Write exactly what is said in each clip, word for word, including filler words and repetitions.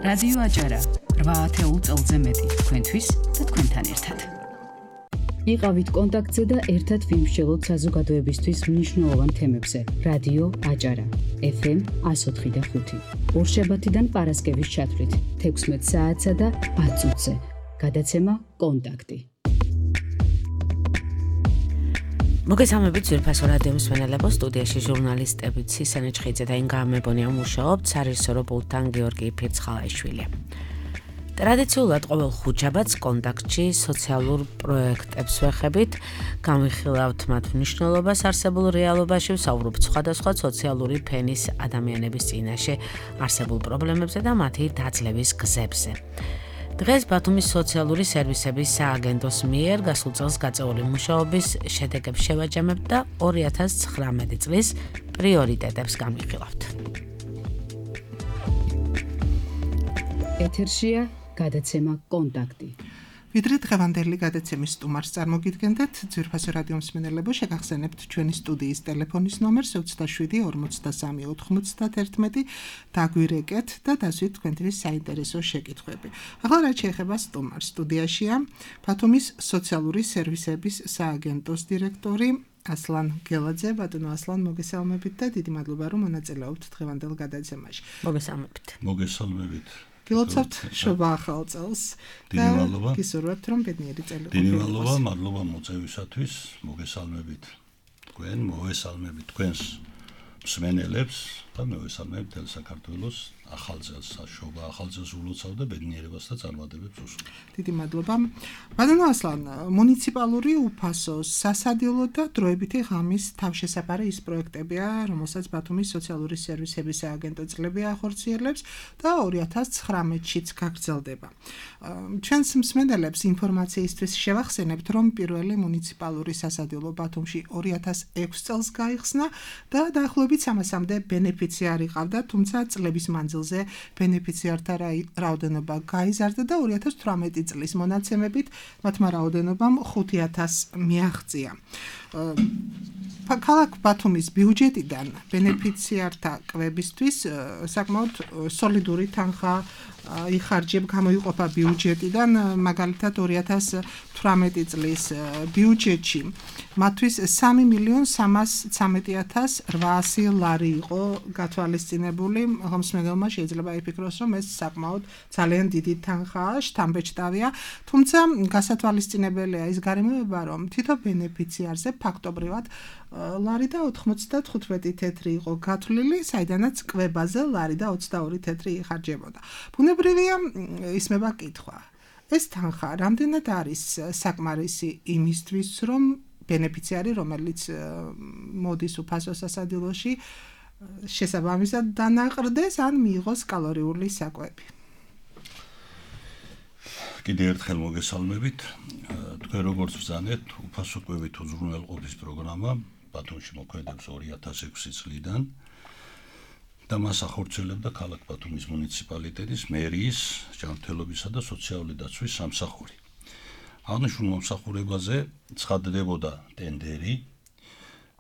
რადიო აჭარა რვა ათეულ წელზე მეტი თქვენთვის და თქვენთან ერთად. იყავით კონტაქტზე და ერთად ვიმსჯელოთ საზოგადოებისთვის მნიშვნელოვან თემებზე. რადიო აჭარა ეფ ემ εκατო ოთხი და ხუთი. ორშაბათიდან პარასკევის ჩათვლით თექვსმეტ საათსა და ათ წუთზე. გადაცემა კონტაქტი. მოგესალმებით ძვირფასო რადიო მსმენელებო, სტუდიაში ჟურნალისტები ცისენე ჩხიძე და ინგა ამებონია მუშაობთ, სარისორო პულტთან გიორგი ფირცხალაიშვილი. ტრადიციულად ყოველ ხუთშაბათს კონტაქტში სოციალურ პროექტებს ვეხებით, განვიხილავთ მათ მნიშვნელობას არსებულ რეალობაში, ვსაუბრობთ სხვადასხვა სოციალური ფენის ადამიანების წინაშე არსებულ პრობლემებზე და მათი დაძლევის გზებზე. დღეს ბათუმის სოციალური სერვისების სააგენტოს მიერ გასულ წელს გაწეული მუშაობის შედეგებს შევაჯამებთ და ორი ათას ცხრამეტი წლის პრიორიტეტებს განვიხილავთ. ეთერშია გადაცემა კონტაქტი. ვიდრე დღევანდელი გადაცემის სტუმარს წარმოგიდგენდეთ, ძვირფასო რადიო მსმენელებო, შეგახსენებთ ჩვენი სტუდიის ტელეფონის ნომერს ოცდაშვიდი ორმოცდასამი ოთხმოცდაათერთმეტი, დაგვირეკეთ და დასვით თქვენთვის საინტერესო შეკითხვები. ახლა რაც შეეხება სტუმარს, სტუდიაშია ბათუმის სოციალური სერვისების სააგენტოს დირექტორი ასლან გელაძე. ბატონო ასლან, მოგესალმებით და დიდი მადლობა რომ მონაწილეობთ დღევანდელ გადაცემაში. მოგესალმებით. მოგესალმებით. გილოცავთ შობა ახალ წელს დიდი მადლობა. გისურვებთ რომ ბედნიერი წელი დიდი მადლობა, მადლობა მოწვევისათვის. მოგესალმებით თქვენ, მოვესალმებით თქვენს მსმენელებს და მოვესალმებით თელ საქართველოს ახალ წელს. შობა ახალ წელს ულოცავ და ბედნიერებას და წარმატებებს უსურვებ. დიდი მადლობა. ბატონო ასლან, მუნიციპალური უფასო, სასადილო და დროებითი ღამის თავშესაფარი ის პროექტებია, რომელსაც ბათუმის სოციალური სერვისების სააგენტო წლები ახორციელებს და ორი ათას ცხრამეტშიც გაგრძელდება. ჩვენს მსმენელებს ინფორმაციისთვის შევახსენებთ, რომ პირველი მუნიციპალური სასადილო ბათუმში ორი ათას ექვსი წელს გაიხსნა და დაახლოებით სამასამდე ბენეფიციარი ყავდა, თუმცა წლების მანძილზე ბენეფიციართა რაოდენობა გაიზარდა და ორი ათას თვრამეტი წლის მონაცემებით მათმა რაოდენობამ ხუთი ათასს მიაღწია. ქალაქ ბათუმის ბიუჯეტიდან ბენეფიციართა კვებისთვის საკმაოდ სოლიდური თანხა იხარჯებ, გამოიყოფა ბიუჯეტიდან, მაგალითად ორი ათას თვრამეტი წლის ბიუჯეტში მათთვის სამი მილიონ სამას ცამეტი ათას რვაასი ლარი იყო გათვალისწინებული. ხომსმენელმა შეიძლება იფიქროს, რომ ეს საკმაოდ ძალიან დიდი თანხაა, შთამბეჭდავია, თუმცა გასათვალისწინებელია ის გარემოება, რომ თითო ბენეფიციარზე ფაქტობრივად ლარი და ოთხმოცდათხუთმეტი თეთრი იყო გათვლილი, საიდანაც კვებაზე ლარი და ოცდაორი თეთრი იხარჯებოდა. ბუნებრივია ისმება კითხვა. ეს თანხა რამდენად არის საკმარისი იმისთვის, რომ ბენეფიციარი, რომელიც მოდის უფასო სასადილოში, შესაბამისად დანაყრდეს ან მიიღოს კალორიული საკვები. კიდევ ერთხელ მოგესალმებით. თქვენ როგორც ბრძანეთ, უფასო კვებით უზრუნველყოფის პროგრამა ბათუმში მოქმედებს ორი ათას ექვსი წლიდან და მას ახორციელებდა ქალაქ ბათუმის მუნიციპალიტეტის მერიის ჯანმრთელობისა და სოციალური დაცვის სამსახური. აღნიშნულ მომსახურებაზე ცხადდებოდა ტენდერი,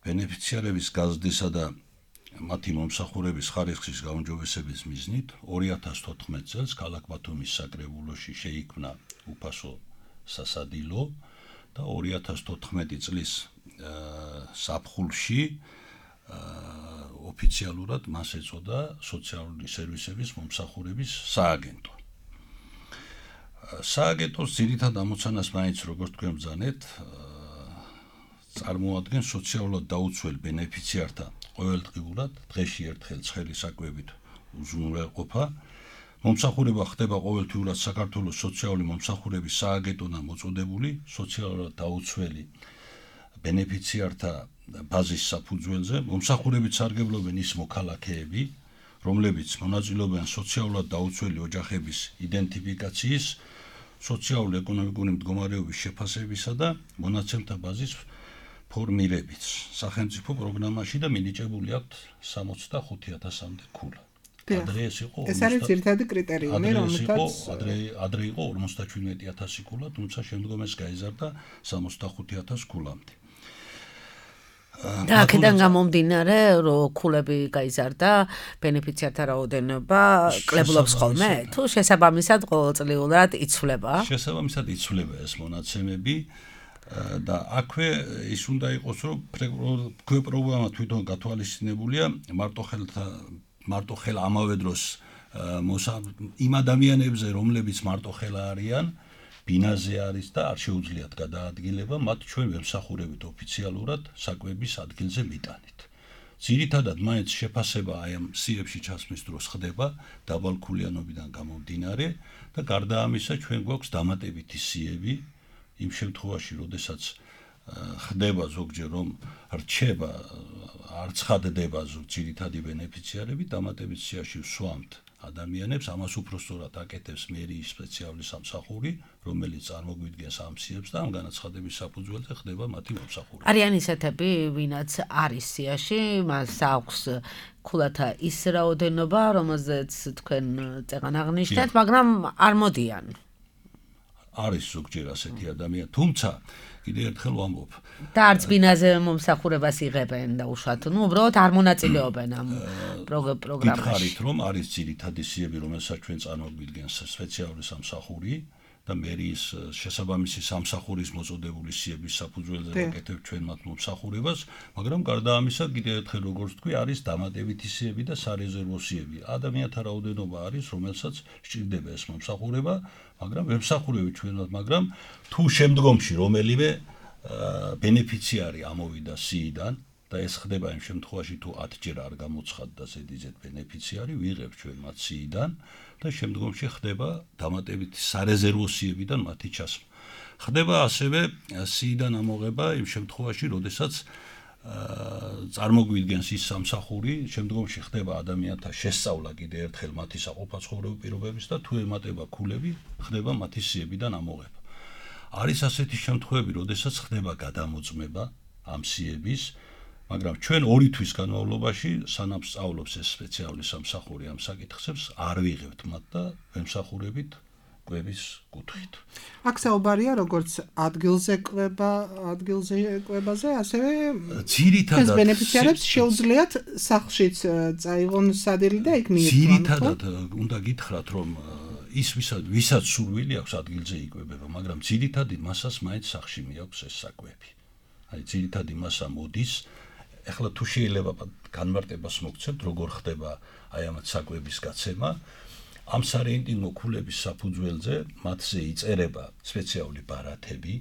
ბენეფიციარების გაზრდისა და მათი მომსახურების ხარისხის გაუმჯობესების მიზნით ორი ათას თოთხმეტ წელს ქალაქ ბათუმის საკრებულოში შეიქმნა უფასო სასადილო და ორი ათას თოთხმეტი წლის საფხულში ოფიციალურად მას ეწოდა სოციალური სერვისების მომსახურების სააგენტო. სააგენტოს ძირითად ამოცანას მაინც როგორც თქვენ ბრძანეთ, წარმოადგენს სოციალურად დაუცველ ბენეფიციართა ყოველდღიურად დღეში ერთხელ ცხელი საკვებით უზრუნველყოფა. მომსახურება ხდება ყოველთვიურად საქართველოს სოციალური მომსახურების სააგენტოდან მოწოდებული სოციალურად დაუცველი ბენეფიციართა ბაზის საფუძველზე. მომსახურებით სარგებლობენ ის მოქალაქეები, რომლებიც მონაწილეობენ სოციალურად დაუცველი ოჯახების იდენტიფიკაციის, სოციალურ-ეკონომიკური მდგომარეობის შეფასებისა და მონაცემთა ბაზის ფორმირებით. სახელმწიფო პროგრამაში და მინიჭებული აქვთ სამოცდახუთი ათასამდე ქულა. ადრე ეს იყო ეს არის ძირითადი კრიტერიუმი, რომელთაც ადრე ადრე იყო ორმოცდაჩვიდმეტი ათასი ქულა, თუმცა შემდგომ ეს გაიზარდა სამოცდახუთი ათას ქულამდე. და აქედან გამომდინარე, რომ ქულები გაიზარდა, ბენეფიციართა რაოდენობა კლებულობს ხოლმე, თუ შესაბამისად ყოველწლიურად იცვლება? შესაბამისად იცვლება ეს მონაცემები და აქვე ის უნდა იყოს, რომ ქვე პროგრამა თვითონ გათვალისწინებულია მარტო ხელთა მარტო ხელ ამავე დროს იმ ადამიანებზე, რომლებიც მარტო ხელა არიან, ბინაზე არის და არ შეუძლიათ გადაადგილება, მათ ჩვენ ვემსახურებით ოფიციალურად საკვების ადგილზე მიტანით. ძირითადად მაინც შეფასება აი ამ სიებში ჩასმის დროს ხდება დაბალქულიანობიდან გამომდინარე და გარდა ამისა ჩვენ გვაქვს დამატებითი სიები იმ შემთხვევაში, როდესაც ხდება ზოგჯერ რომ რჩება არ ცხადდება ძირითადი ბენეფიციარები, დამატებით სიაში ვსვამთ ადამიანებს, ამას უფრო სწორად აკეთებს მერიის სპეციალური სამსახური, რომელიც წარმოგვიდგენს ამ სიებს და ამ განაცხადების საფუძველზე ხდება მათი მომსახურება. არიან ისეთები, ვინაც არის სიაში, მას აქვს ქულათა ის რაოდენობა, რომელზეც თქვენ წეგან აღნიშნეთ, მაგრამ არ მოდიან. არის ზოგჯერ ასეთი ადამიანი, თუმცა კიდე ერთხელ ვამბობ. და არც ბინაზე მომსახურებას იღებენ და უშუალოდ, ну, უბრალოდ არ მონაწილეობენ ამ პროგრამაში. გითხარით, რომ არის ძირითადი სიები, რომელსაც ჩვენ წარმოგვიდგენს სპეციალური სამსახური და მერიის შესაბამისი სამსახურის მოწოდებული სიების საფუძველზე ვაკეთებთ ჩვენ მათ მომსახურებას, მაგრამ გარდა ამისა, კიდე ერთხელ როგორც თქვი, არის დამატებითი სიები და სარეზერვო სიები. ადამიანთა რაოდენობა არის, რომელსაც სჭირდება ეს მომსახურება, მაგრამ ვემსახურებით ჩვენად, მაგრამ თუ შემდგომში რომელიმე ბენეფიციარი ამოვიდა სიიდან და ეს ხდება იმ შემთხვევაში, თუ ათჯერ არ გამოცხადდა ზედიზედ ბენეფიციარი, ვიღებ ჩვენ მათ სიიდან და შემდგომში ხდება დამატებითი სარეზერვო სიებიდან მათი ჩასმა. ხდება ასევე სიიდან ამოღება იმ შემთხვევაში, როდესაც წარმოგვიდგენს ის სამსახური, შემდგომში ხდება ადამიანთა შესწავლა კიდე ერთხელ მათი საყოფაცხოვრებო პირობების და თუ ემატება ქულები, ხდება მათი სიებიდან ამოღება. არის ასეთი შემთხვევები, როდესაც ხდება გადამოწმება ამ სიების, მაგრამ ჩვენ ორი თვის განმავლობაში, სანამ სწავლობს ეს სპეციალური სამსახური ამ საკითხებს, არ ვიღებთ მათ და ვემსახურებით კვების კუთხით. აქ საუბარია როგორც ადგილზე კვება, ადგილზე კვებაზე, ასევე ძირითადად ბენეფიციარებს შეუძლიათ სახლშიც წაიღონ სადილი და იქ მიირთმან. ძირითადად უნდა გითხრათ, რომ ის ვისაც ვისაც სურვილი აქვს ადგილზე იკვებება, მაგრამ ძირითადი მასას მაინც სახლში მიაქვს ეს საკვები. აი ძირითადი მასა მოდის. ეხლა თუ შეიძლება განმარტებას მოგცემთ, როგორ ხდება აი ამ საკვების გაცემა, ამ სარეინტიმო ქულების საფუძველზე მათზე იწერება სპეციალური ბარათები.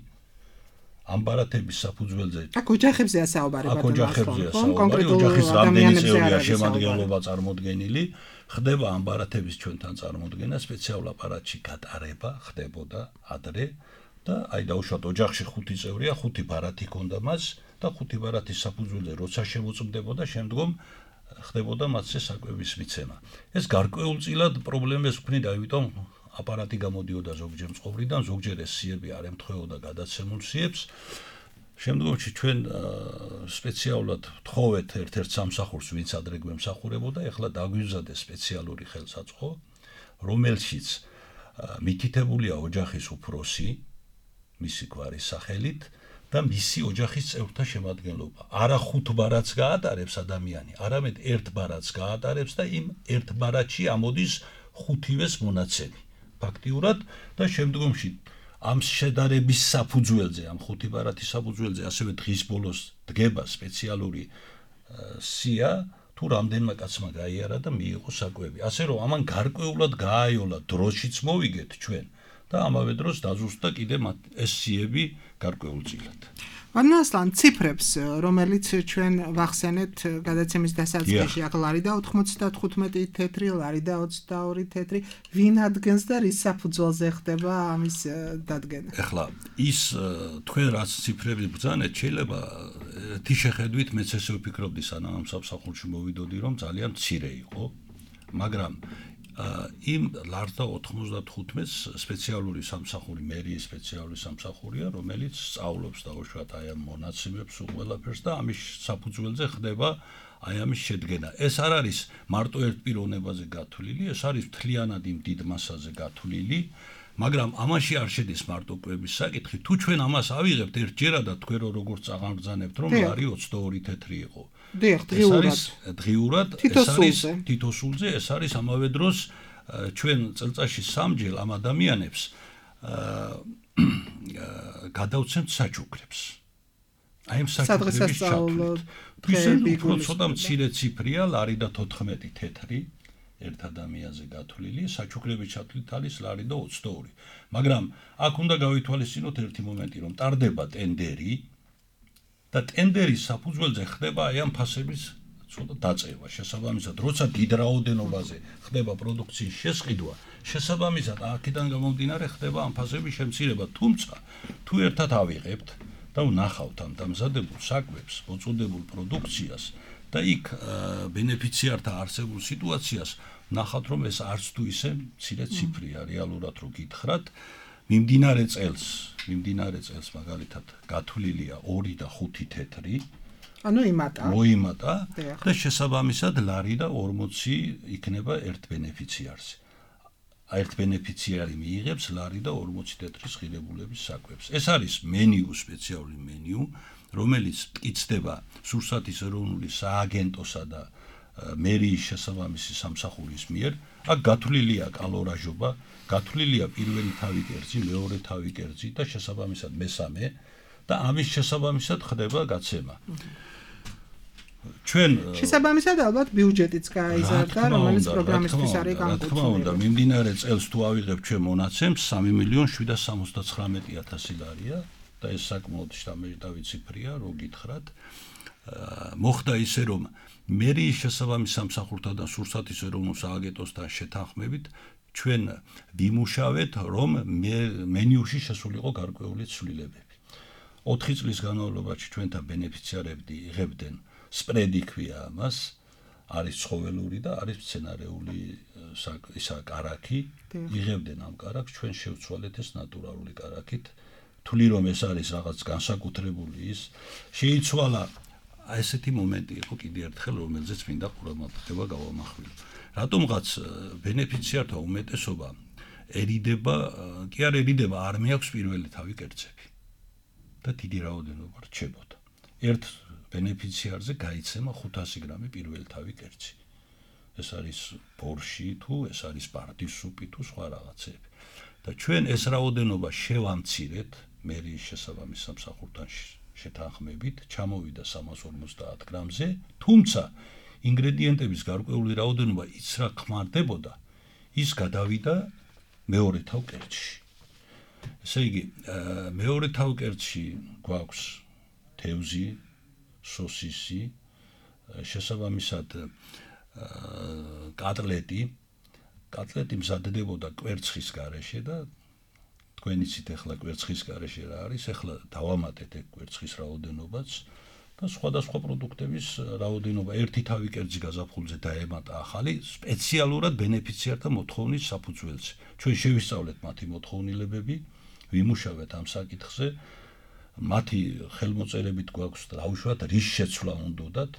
ამ ბარათების საფუძველზე აქ ოჯახებზეა საუბარი, აქ ოჯახებზეა საუბარი, ოჯახის რამდენი წევრია შემადგენლობა წარმოდგენილი, ხდება ამ ბარათების ჩვენთან წარმოდგენა, სპეციალურ აპარატში გატარება ხდებოდა ადრე და აი დაუშვათ ოჯახში ხუთი წევრია, ხუთი ბარათი ქონდა მას და ხუთი ბარათის საფუძველზე როცა შემოწმდებოდა, შემდგომ ხდებოდა მათზე საკვების მიცემა. ეს გარკვეულწილად პრობლემებს ქმნიდა, იმიტომ აპარატი გამოდიოდა ზოგჯერ მწყობრიდან, ზოგჯერ ეს სიები არ ემთხვეოდა გადაცემულ სიებს. შემდგომში ჩვენ სპეციალურად ვთხოვეთ ერთ-ერთ სამსახურს, ვინც ადრე გვემსახურებოდა, ეხლა დაგვიზარდეს სპეციალური ხელსაწყო, რომელშიც მითითებულია ოჯახის უფროსი, მისი გვარის სახელით და მისი ოჯახის წევრთა შემადგენლობა. არა ხუთ ბარათს გაატარებს ადამიანი, არამედ ერთ ბარათს გაატარებს და იმ ერთ ბარათში ამოდის ხუთივეს მონაცემი. ფაქტიურად და შემდგომში ამ შედარების საფუძველზე, ამ ხუთი ბარათის საფუძველზე, ასევე დღის ბოლოს დგება სპეციალური სია, თუ რამდენმა კაცმა გაიარა და მიიღო საკვები. ასე რომ ამან გარკვეულად გააიოლა, დროშიც მოვიგეთ ჩვენ და ამავე დროს დაზუსტდა კიდე ეს სიები გარკვეულწილად. ვანასლან ციფრებს, რომელიც ჩვენ ვახსენეთ გადაცემის დასაწყისში, აქ ლარი და ოთხმოცდათხუთმეტი თეთრი, ლარი და ოცდაორი თეთრი, ვინ ადგენს და რის საფუძველზე ხდება ამის დადგენა? ეხლა ის თქვენ რაც ციფრები ბრძანეთ, შეიძლება ერთი შეხედვით მეც ესე ვფიქრობდი, სანამ ამ სამსახურში მოვიდოდი, რომ ძალიან მცირე იყო, მაგრამ იმ ლარ და ოთხმოცდათხუთმეტს სპეციალური სამსახური, მერიის სპეციალური სამსახურია, რომელიც სწავლობს დაუშვათ აი ამ მონაცემებს უყველაფერს და ამის საფუძველზე ხდება აი ამის შედგენა. ეს არ არის მარტო ერთ პიროვნებაზე გათვლილი, ეს არის მთლიანად იმ დიდ მასაზე გათვლილი მაგრამ ამაში არ შედის მარტო კვების საკითხი. თუ ჩვენ ამას ავიღებთ ერთჯერადად, თქვენ როგორც აღამბრძანებთ, რომ ლარი ოცდაორი თეთრი იყო. დიახ, დღიურად. დღიურად ეს არის თითოსულზე, ეს არის ამავე დროს ჩვენ წელწადში სამჯერ ამ ადამიანებს გადავცემთ საჩუქრებს. აი ამ საჩუქრების ჩათვლით. დღეები უფრო ცოტა მცირე ციფრია, ლარი და თოთხმეტი თეთრი. ერთ ადამიანზე გათვლილი, საჩუქრების ჩათვლით არის ლარი და ოცდაორი. მაგრამ აქ უნდა გავითვალისწინოთ ერთი მომენტი, რომ ტარდება ტენდერი და ტენდერის საფუძველზე ხდება აი ამ ფასების ცოტა დაწევა. შესაბამისად, როცა დიდ რაოდენობაზე ხდება პროდუქციის შესყიდვა, შესაბამისად, აქედან გამომდინარე ხდება ამ ფასების შემცირება. თუმცა, თუ ერთად ავიღებთ და ვნახავთ ამ დამზადებულ საკვებს, მოწოდებულ პროდუქციას და იქ ბენეფიციართა არსებულ სიტუაციას ნახავთ, რომ ეს არც თუ ისე მცირე ციფრია, რეალურად რო გითხრათ, მიმდინარე წელს, მიმდინარე წელს მაგალითად გათვლილია ორი და ხუთი თეთრი, ანუ იმატა. მოიმატა და შესაბამისად ლარი და ორმოცი იქნება ერთ ბენეფიციარზე. ერთ ბენეფიციარი მიიღებს ლარი და ორმოცი თეთრის ღირებულების საკვებს. ეს არის მენიუ, სპეციალური მენიუ, რომელიც მტკიცდება სურსათის ეროვნული სააგენტოსა და მერიის შესაბამისი სამსახურის მიერ. აქ გათვლილია კალორაჟობა, გათვლილია პირველი თავი კერძი, მეორე თავი კერძი და შესაბამისად მესამე და ამის შესაბამისად ხდება გაცემა. ჩვენ შესაბამისად ალბათ ბიუჯეტიც გაიზარდა, რომელიც პროგრამისთვის არის განკუთვნილი. რა თქმა უნდა, მიმდინარე წელს თუ ავიღებ ჩვენ მონაცემს, სამი მილიონი შვიდას სამოცდაცხრამეტი ათასი ლარია და ეს საკმაოდ შთამბეჭდავი ციფრია, რო გითხრათ. მოხდა ისე, რომ მერიის შესაბამის სამსახურთან და სურსათის ეროვნულ სააგენტოსთან შეთანხმებით ჩვენ ვიმუშავეთ, რომ მენიუში შესულიყო გარკვეული ცვლილებები. ოთხი წლის განმავლობაში ჩვენთან ბენეფიციარები იღებდნენ სპრედი ქვია ამას, არის ცხოველური და არის მცენარეული ისა კარაქი, იღებდნენ ამ კარაქს, ჩვენ შევცვალეთ ეს ნატურალური კარაქით. თვლი რომ ეს არის რაღაც განსაკუთრებული ის, შეიცვალა ესეთი მომენტი იყო კიდე ერთხელ, რომელზეც მინდა ყურადღება გავამახვილო. რატომღაც ბენეფიციართა უმეტესობა ერიდება, კი არ ერიდება, არ მეაქვს პირველი თავი კერძები და დიდი რაოდენობა რჩებოდა. ერთ ბენეფიციარზე გაიცემა ხუთასი გრამი პირველი თავი კერძი. ეს არის ბორში თუ ეს არის პარდის სუპი თუ სხვა რაღაცები. და ჩვენ ეს რაოდენობა შევამცირეთ მერიის შესაბამის სამსახურთან შეთანხმებით, ჩამოვიდა სამას ორმოცდაათ გრამზე, თუმცა ინგრედიენტების გარკვეული რაოდენობა იცრა ხმარდებოდა, ის გადავიდა მეორე თავ კერძში. ესე იგი, მეორე თავ კერძში გვაქვს თევზი, სოსისი, შესაბამისად კატლეტი, კატლეტი მზადდებოდა კვერცხის გარეშე და თქვენ იცით ახლა კვერცხის გარეშე რა არის, ახლა დავამატეთ ეგ კვერცხის რაოდენობაც და სხვადასხვა პროდუქტების რაოდენობა ერთი თავი კერძი გაზაფხულზე დაემატა ახალი სპეციალურად ბენეფიციართა მოთხოვნის საფუძველზე. ჩვენ შევისწავლეთ მათი მოთხოვნილებები, ვიმუშავეთ ამ საკითხზე, მათი ხელმოწერებით გვაქვს დაუშვათ რის შეცვლა უნდათ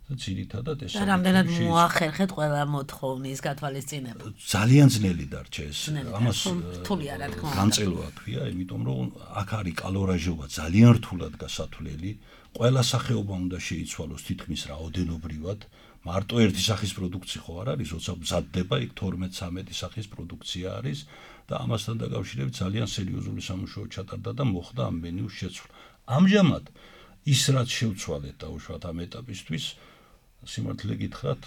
და ძირითადად ეს და რამდენად მოახერხეთ ყველა მოთხოვნის გათვალისწინება. ძალიან ძნელი დარჩა ეს. ამას რთულია რა თქმა უნდა. განწელვა ქვია, იმიტომ რომ აქ არის კალორაჟობა ძალიან რთულად გასათვლელი. ყველა სახეობა უნდა შეიცვალოს თითქმის რაოდენობრივად. მარტო ერთი სახის პროდუქცია ხო არ არის, როცა მზადდება, იქ თორმეტ ცამეტი სახის პროდუქცია არის და ამასთან დაკავშირებით ძალიან სერიოზული სამუშაო ჩატარდა და მოხდა ამ მენიუს შეცვლა. ამჟამად ის რაც შევცვალეთ დაუშვათ ამ ეტაპისთვის, სიმართლე გითხრათ,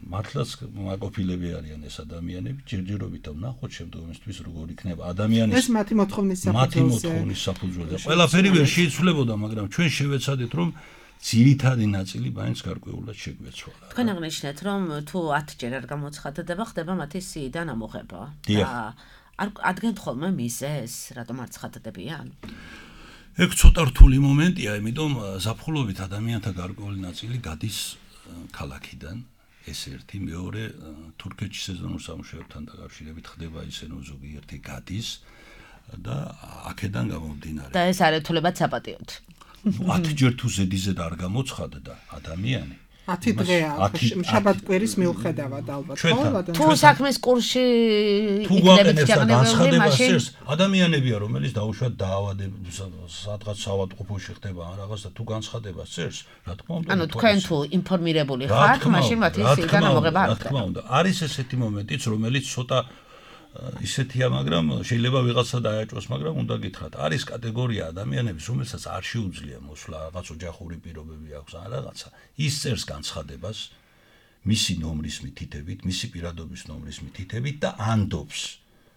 მართლაც მაყოფილები არიან ეს ადამიანები, ჯერჯერობით ვნახოთ შემდგომისთვის როგორ იქნება ადამიანის ეს მათი მოთხოვნის საფუძველზე. მათი მოთხოვნის საფუძველზე. ყველაფერი ვერ შეიცვლებოდა, მაგრამ ჩვენ შევეცადეთ, რომ ძირითადი ნაწილი მაინც გარკვეულად შეგვეცვალა. თქვენ აღნიშნეთ, რომ თუ ათჯერ არ გამოცხადდება, ხდება მათი სიიდან ამოღება. და არ ადგენთ ხოლმე მიზეზს, რატომ არ ცხადდებიან? ეგ ცოტა რთული მომენტია, იმიტომ ზაფხულობით ადამიანთა გარკვეული ნაწილი გადის ქალაქიდან, ეს ერთი, მეორე თურქეთში სეზონურ სამუშაოებთან დაკავშირებით ხდება ისე, რომ ზოგიერთი გადის და აქედან გამომდინარე. და ეს არ ეთულებათ საპატიოდ. ათჯერ თუ ზედიზედ არ გამოცხადდა ადამიანი, ათი დღეა შაბათ-კვირის მიუხედავად ალბათ ხო? თუ საქმის კურსში იქნებით განცხადება სერს ადამიანებია რომელიც დაუშვათ დაავადების სადღაც საავადმყოფოში ხდება რაღაც და თუ განცხადება სერს რა თქმა უნდა ანუ თქვენ თუ ინფორმირებული ხართ მაშინ მათი სიგან ამოღება არ რა თქმა უნდა არის ესეთი მომენტიც რომელიც ცოტა ისეთია მაგრამ შეიძლება ვიღაცა დააჭოს მაგრამ უნდა გითხრათ არის კატეგორია ადამიანების რომელსაც არ შეუძლია მოსვლა რაღაც ოჯახური პირობები აქვს ან რაღაცა ის წერს განცხადებას მისი ნომრის მითითებით მისი პირადობის ნომრის მითითებით და ანდობს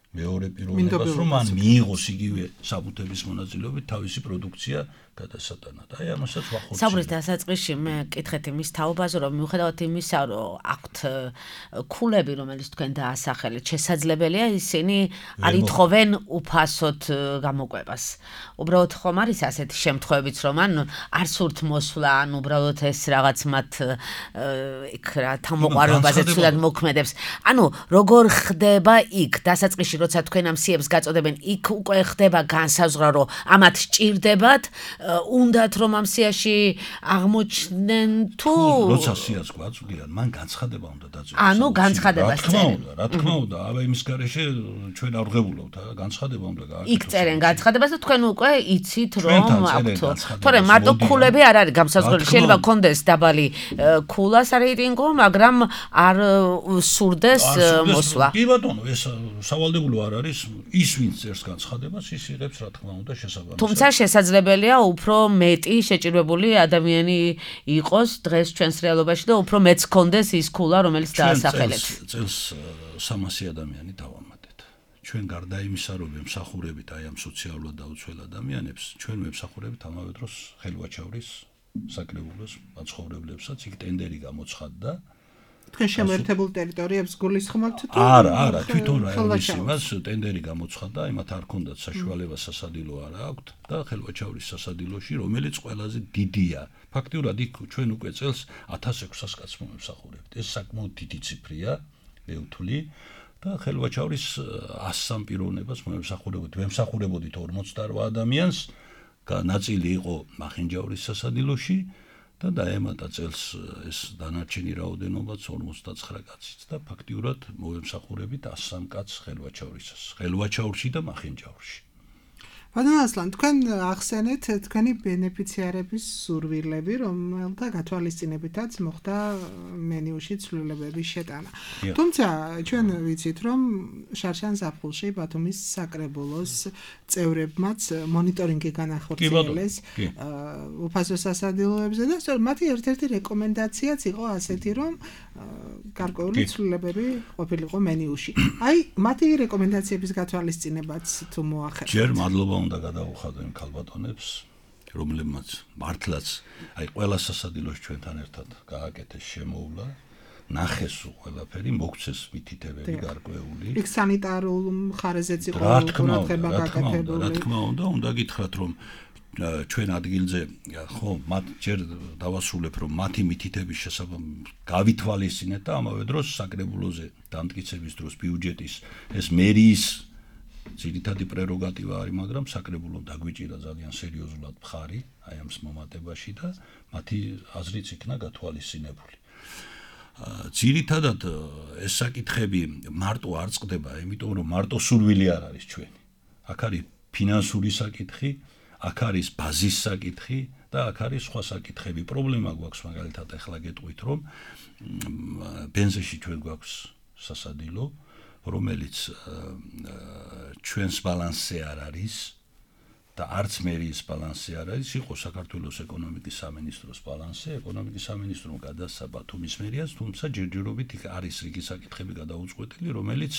მეორე პიროვნებას რომ მან მიიღოს იგივე საბუთების მონაწილეობით თავისი პროდუქცია გადასატანად. აი ამასაც ვახორციელებთ. საბრის დასაწყისში მე კითხეთ იმის თაობაზე რომ მიუხედავად იმისა რომ აქვთ ქულები რომელიც თქვენ დაასახელეთ შესაძლებელია ისინი არ ითხოვენ უფასოდ გამოკვებას. უბრალოდ ხომ არის ასეთი შემთხვევებიც რომ ან არ სურთ მოსვლა ან უბრალოდ ეს რაღაც მათ იქ რა თამოყარებაზე ცუდად მოქმედებს. ანუ როგორ ხდება იქ დასაწყისში როცა თქვენ ამ სიებს გაწოდებენ იქ უკვე ხდება განსაზღვრა რომ ამათ სჭირდებათ უნდათ რომ ამ სიაში აღმოჩნდნენ თუ როცა სიას გვაწვდიან მან განცხადება უნდა დაძინოს ანუ განცხადებას წერენ რა თქმა უნდა აბა იმის გარეშე ჩვენ არ ვღებულობთ განცხადება უნდა გააკეთოს იქ წერენ განცხადებას და თქვენ უკვე იცით რომ აქვთ თორემ მარტო ქულები არ არის გამსაზღვრელი შეიძლება გქონდეს დაბალი ქულა სარეიტინგო მაგრამ არ სურდეს მოსვლა კი ბატონო ეს სავალდებულო არ არის ის ვინც წერს განცხადებას ის იღებს რა თქმა უნდა შესაბამისად თუმცა შესაძლებელია უფრო მეტი შეჭირებული ადამიანი იყოს დღეს ჩვენს რეალობაში და უფრო მეც გქონდეს ის ქულა რომელიც დაასახელეთ წელს სამასი ადამიანი დავამატეთ ჩვენ გარდა იმისა რომ ემსახურებით აი ამ სოციალურად დაუცველ ადამიანებს ჩვენ ვემსახურებით ამავე დროს ხელვაჩავრის საკრებულოს მაცხოვრებლებსაც იქ ტენდერი გამოცხადდა თქვენ შემოერთებულ ტერიტორიებს გულისხმობთ თუ არა არა თვითონ რაიონის იმას ტენდერი გამოცხადდა იმათ არ ქონდათ საშუალება სასადილო არ აქვთ და ხელვაჩავრის სასადილოში რომელიც ყველაზე დიდია ფაქტიურად იქ ჩვენ უკვე წელს ათას ექვსას კაცს მომსახურებთ ეს საკმაოდ დიდი ციფრია მე ვთვლი და ხელვაჩავრის ასსამ პიროვნებას მომსახურებთ ვემსახურებოდით ორმოცდაორ ადამიანს ნაწილი იყო მახინჯაურის სასადილოში და დაემატა წელს ეს დანარჩენი რაოდენობაც ორმოცდაცხრა კაციც და ფაქტიურად მოვემსახურებით ასსამ კაცს ხელვაჩავრისას ხელვაჩავრში და მახინჯაურში ბატონო ასლან თქვენ ახსენეთ თქვენი ბენეფიციარების სურვილები რომელთა გათვალისწინებითაც მოხდა მენიუში ცვლილებების შეტანა თუმცა ჩვენ ვიცით რომ შარშან ზაფხულში ბათუმის საკრებულოს წევრებმაც მონიტორინგი განახორციელეს უფასო სასადილოებზე და სწორედ მათი ერთ-ერთი რეკომენდაციაც იყო ასეთი რომ გარკვეული ცვლილებები ყოფილიყო მენიუში აი მათი რეკომენდაციების გათვალისწინებაც თუ მოახერხეთ ჯერ მადლობა უნდა გადავუხადო იმ ქალბატონებს რომლებმაც მართლაც აი ყველა სასადილოს ჩვენთან ერთად გააკეთეს შემოუვლა ნახეს ყველაფერი მოგცეს მითითებები გარკვეული იქ სანიტარულ მხარეზეც იყო ყურადღება გაკეთებული რა თქმა უნდა უნდა გითხრათ რომ ჩვენ ადგილზე ხო მათ ჯერ დავასრულებ რომ მათი მითითების შესაბამისად გავითვალისწინეთ და ამავე დროს საკრებულოზე დამტკიცების დროს ბიუჯეტის ეს მერიის ძირითადი პრეროგატივა არის, მაგრამ საკრებულომ დაგვიჭირა ძალიან სერიოზულად მხარი აი ამ მომატებაში და მათი აზრიც იქნა გათვალისწინებული. ძირითადად ეს საკითხები მარტო არ წყდება, იმიტომ რომ მარტო სურვილი არ არის ჩვენი. აქ არის ფინანსური საკითხი, აქ არის ბაზის საკითხი და აქ არის სხვა საკითხები. პრობლემა გვაქვს მაგალითად ახლა გეტყვით რომ ბენზინში ჩვენ გვაქვს სასადილო რომელიც ჩვენს ბალანსზე არ არის და არც მერიის ბალანსზე არ არის, იყო საქართველოს ეკონომიკის სამინისტროს ბალანსზე, ეკონომიკის სამინისტრომ გადასცა ბათუმის მერიას, თუმცა ჯერჯერობით იქ არის რიგი საკითხები გადაუწყვეტილი, რომელიც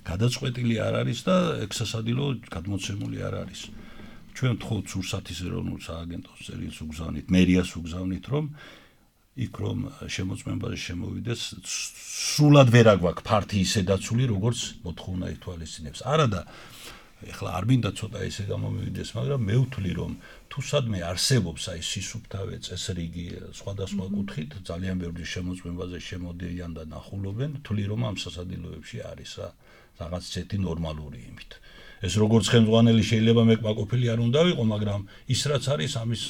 გადაწყვეტილი არ არის და ეგ სასადილო გადმოცემული არ არის. ჩვენ ვთხოვთ სურსათის ეროვნულ სააგენტოს წერილს უგზავნით, მერიას უგზავნით, რომ იქ რომ შემოწმებაზე შემოვიდეს სრულად ვერ აგვაქვს ფართიისე დაცული როგორც მოთხოვნა ითვალისწინებს. არადა ეხლა არ მინდა ცოტა ესე გამომივიდეს, მაგრამ მე ვთვლი რომ თუ სადმე არსებობს აი სისუფთავე წესრიგი სხვადასხვა კუთხით ძალიან ბევრი შემოწმებაზე შემოდიან და ნახულობენ, ვთვლი რომ ამ სასადილოებში არის რა რაღაც ცეთი ნორმალური იმით. ეს როგორც ხელმძღვანელი შეიძლება მე კმაყოფილი არ უნდა ვიყო, მაგრამ ის რაც არის ამის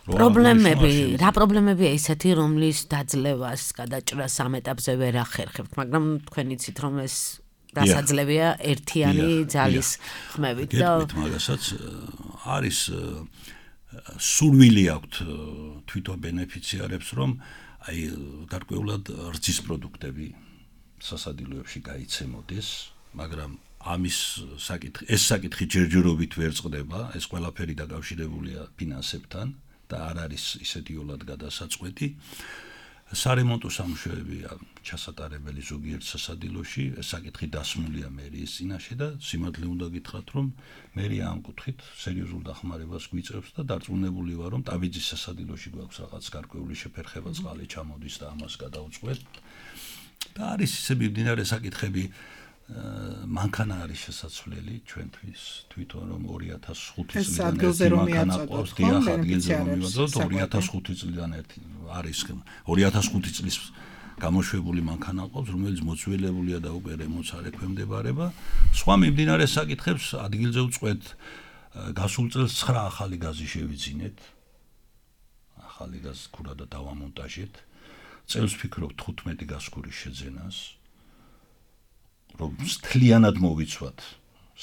პრობლემები, რა პრობლემებია ისეთი, რომლის დაძლევას, გადაჭრას ამ ეტაპზე ვერ ახერხებთ, მაგრამ თქვენ იცით, რომ ეს დასაძლებია ერთიანი ძალის ხმებით და გეტყვით მაგასაც არის სურვილი აქვთ თვითონ ბენეფიციარებს, რომ აი გარკვეულად რძის პროდუქტები სასადილოებში გაიცემოდეს, მაგრამ ამის საკითხი ეს საკითხი ჯერჯერობით ვერ წყდება, ეს ყველაფერი დაკავშირებულია ფინანსებთან და არ არის ისეთი იოლად გადასაწყვეტი. სარემონტო სამუშაოებია ჩასატარებელი ზოგიერთ სასადილოში, ეს საკითხი დასმულია მერიის წინაშე და სიმართლე უნდა გითხრათ, რომ მერია ამ კუთხით სერიოზულ დახმარებას გვიწევს და დარწმუნებული ვარ, რომ ტაბიძის სასადილოში გვაქვს რაღაც გარკვეული შეფერხება, წყალი ჩამოდის და ამას გადავწყვეტ. და არის ისე მიმდინარე საკითხები, მანქანა არის შესაძლებელი ჩვენთვის თვითონ რომ ორი ათას ხუთი წლიდან ერთი მანქანა ყავს, დიახ, ადგილზე რომ მივაწოდოთ ორი ათას ხუთი წლიდან ერთი არის ორი ათას ხუთი წლის გამოშვებული მანქანა ყავს, რომელიც მოძველებულია და უკვე რემონტს არ ექვემდებარება. სხვა მიმდინარე საკითხებს ადგილზე ვწყვეტ. გასულ წელს ცხრა ახალი გაზი შევიძინეთ. ახალი გაზი ქურა და დავამონტაჟეთ. წელს ვფიქრობ თხუთმეტი გასქურის შეძენას. რომ მთლიანად მოვიცვათ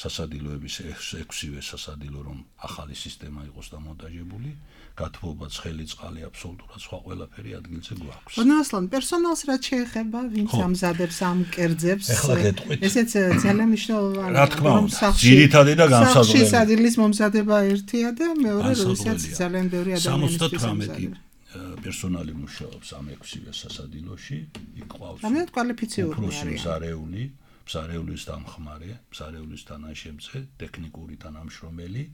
სასადილოების ექვსივე სასადილო, რომ ახალი სისტემა იყოს დამონტაჟებული, გათბობა, ცხელი წყალი, აბსოლუტურად სხვა ყველაფერი ადგილზე გვაქვს. ბონასლან, პერსონალს რაც შეეხება, ვინც ამზადებს ამ კერძებს, ესეც ძალიან მნიშვნელოვანია. რა თქმა უნდა, ძირითადი და განსაზღვრელი. სახში სადილის მომზადება ერთია და მეორე, როდესაც ძალიან ბევრი ადამიანისთვის სამოცდათვრამეტი პერსონალი მუშაობს ამ ექვსივე სასადილოში, იქ ყავს ამით კვალიფიციური მზარეული, მზარეულის დამხმარე, მზარეულის თანაშემწე, ტექნიკური თანამშრომელი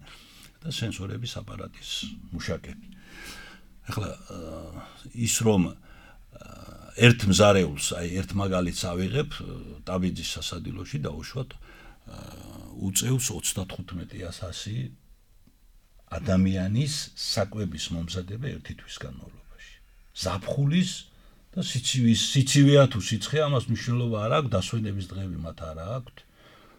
და სენსორების აპარატის მუშაკები. ახლა ის რომ ერთ მზარეულს, აი ერთ მაგალითს ავიღებ, ტაბიძის სასადილოში დაუშვათ უწევს ოცდათხუთმეტი ათასი ადამიანის საკვების მომზადება ერთი თვის განმავლობაში. ზაფხულის და სიცივის სიცივეა თუ სიცხე, ამას მნიშვნელობა არ აქვს, დასვენების დღეები მათ არ აქვთ.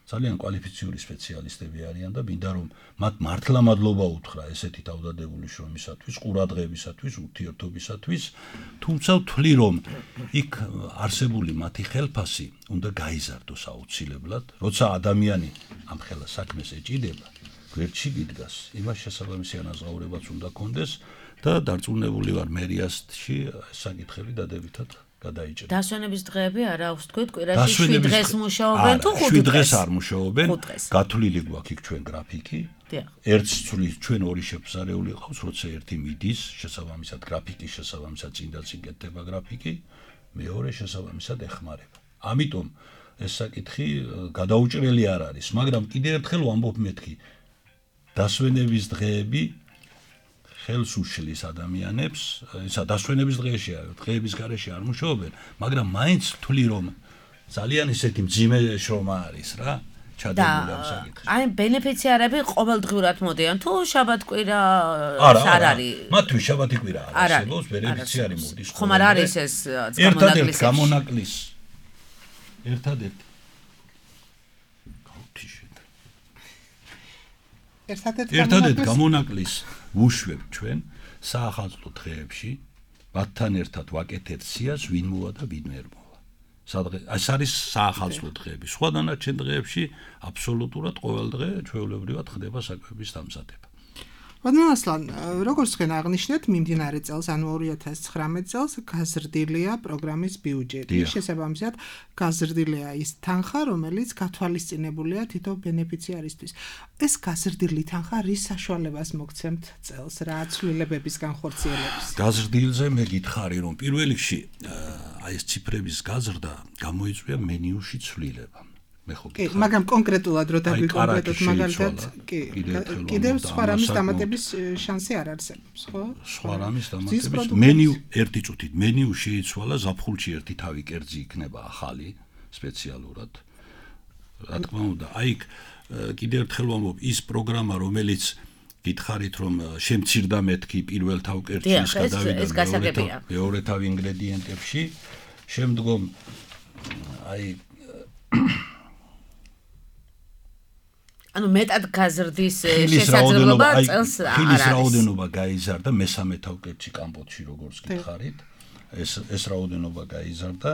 ძალიან კვალიფიციური სპეციალისტები არიან და მინდა რომ მათ მართლა მადლობა უთხრა ესეთი თავდადებული შრომისათვის, ყურადღებისათვის, ურთიერთობისათვის, თუმცა ვთვლი რომ იქ არსებული მათი ხელფასი უნდა გაიზარდოს აუცილებლად, როცა ადამიანი ამ ხელა საქმეს ეჭიდება, გვერდში გიდგას, იმას შესაბამისი ანაზღაურებაც უნდა კონდეს და დარწმუნებული ვარ მერიასში საკითხები დადებითად გადაიჭრა. დასვენების დღეები არა აქვს თქვით, კვირაში შვიდ დღეს მუშაობენ თუ ხუთ დღეს? შვიდ დღეს არ მუშაობენ. გათვლილი გვაქვს იქ ჩვენ გრაფიკი. ერთს ცვლის ჩვენ ორი შეფსარეული ყავს, როცა ერთი მიდის, შესაბამისად გრაფიკის შესაბამისად წინდა წინ კეთდება გრაფიკი, მეორე შესაბამისად ეხმარება. ამიტომ ეს საკითხი გადაუჭრელი არ არის, მაგრამ კიდევ ერთხელ ვამბობ მეთქი, დასვენების დღეები ხელს უშლის ადამიანებს, ისა დასვენების დღეშია, დღეების გარეშე არ მუშაობენ, მაგრამ მაინც ვთვლი რომ ძალიან ისეთი მძიმე შრომა არის რა, ჩადებული ამ საკითხში. აი ბენეფიციარები ყოველდღიურად მოდიან თუ შაბათ-კვირა არ არის? მათთვის შაბათი-კვირა არ არსებობს, ბენეფიციარი მოდის. ხომ არ არის ეს გამონაკლისი? გამონაკლისი. ერთადერთ ერთადერთ გამონაკლისს ვუშვებ ჩვენ საახალწლო დღეებში, მათთან ერთად ვაკეთებთ სიას, ვინ მოვა და ვინ ვერ მოვა. ეს არის საახალწლო დღეები. სხვა დანარჩენ დღეებში აბსოლუტურად ყოველ დღე ჩვეულებრივად ხდება საკვების დამზადება. ბოდნასლან, როგორც თქვენ აღნიშნეთ, მიმდინარე წელს, ანუ ორი ათას ცხრამეტ წელს გაზრდილია პროგრამის ბიუჯეტი. შესაბამისად, გაზრდილია ის თანხა, რომელიც გათვალისწინებულია თითო ბენეფიციარისთვის. ეს გაზრდილი თანხა რის საშუალებას მოგცემთ წელს, რა ცვლილებების განხორციელებს? გაზრდილზე მე გითხარი, რომ პირველ რიგში აი ეს ციფრების გაზრდა გამოიწვია მენიუში ცვლილება. კი, მაგრამ კონკრეტულად რო დაგვიკონკრეტოთ მაგალითად, კი, კიდევ სხვა რამის დამატების შანსი არ არსებობს, ხო? სხვა რამის დამატების მენიუ ერთი წუთით, მენიუ შეიცვალა, ზაფხულში ერთი თავი კერძი იქნება ახალი სპეციალურად. რა თქმა უნდა, აი კიდევ ერთხელ ვამბობ, ის პროგრამა, რომელიც გითხარით რომ შემცირდა მეთქი პირველ თავ კერძის გადავიდა მეორე თავ ინგრედიენტებში, შემდგომ აი ანუ მეტად გაზრდის შესაძლებლობა წელს არ არის. ხილის რაოდენობა გაიზარდა მესამე თავკეთში კამპოტში როგორც გითხარით. ეს ეს რაოდენობა გაიზარდა.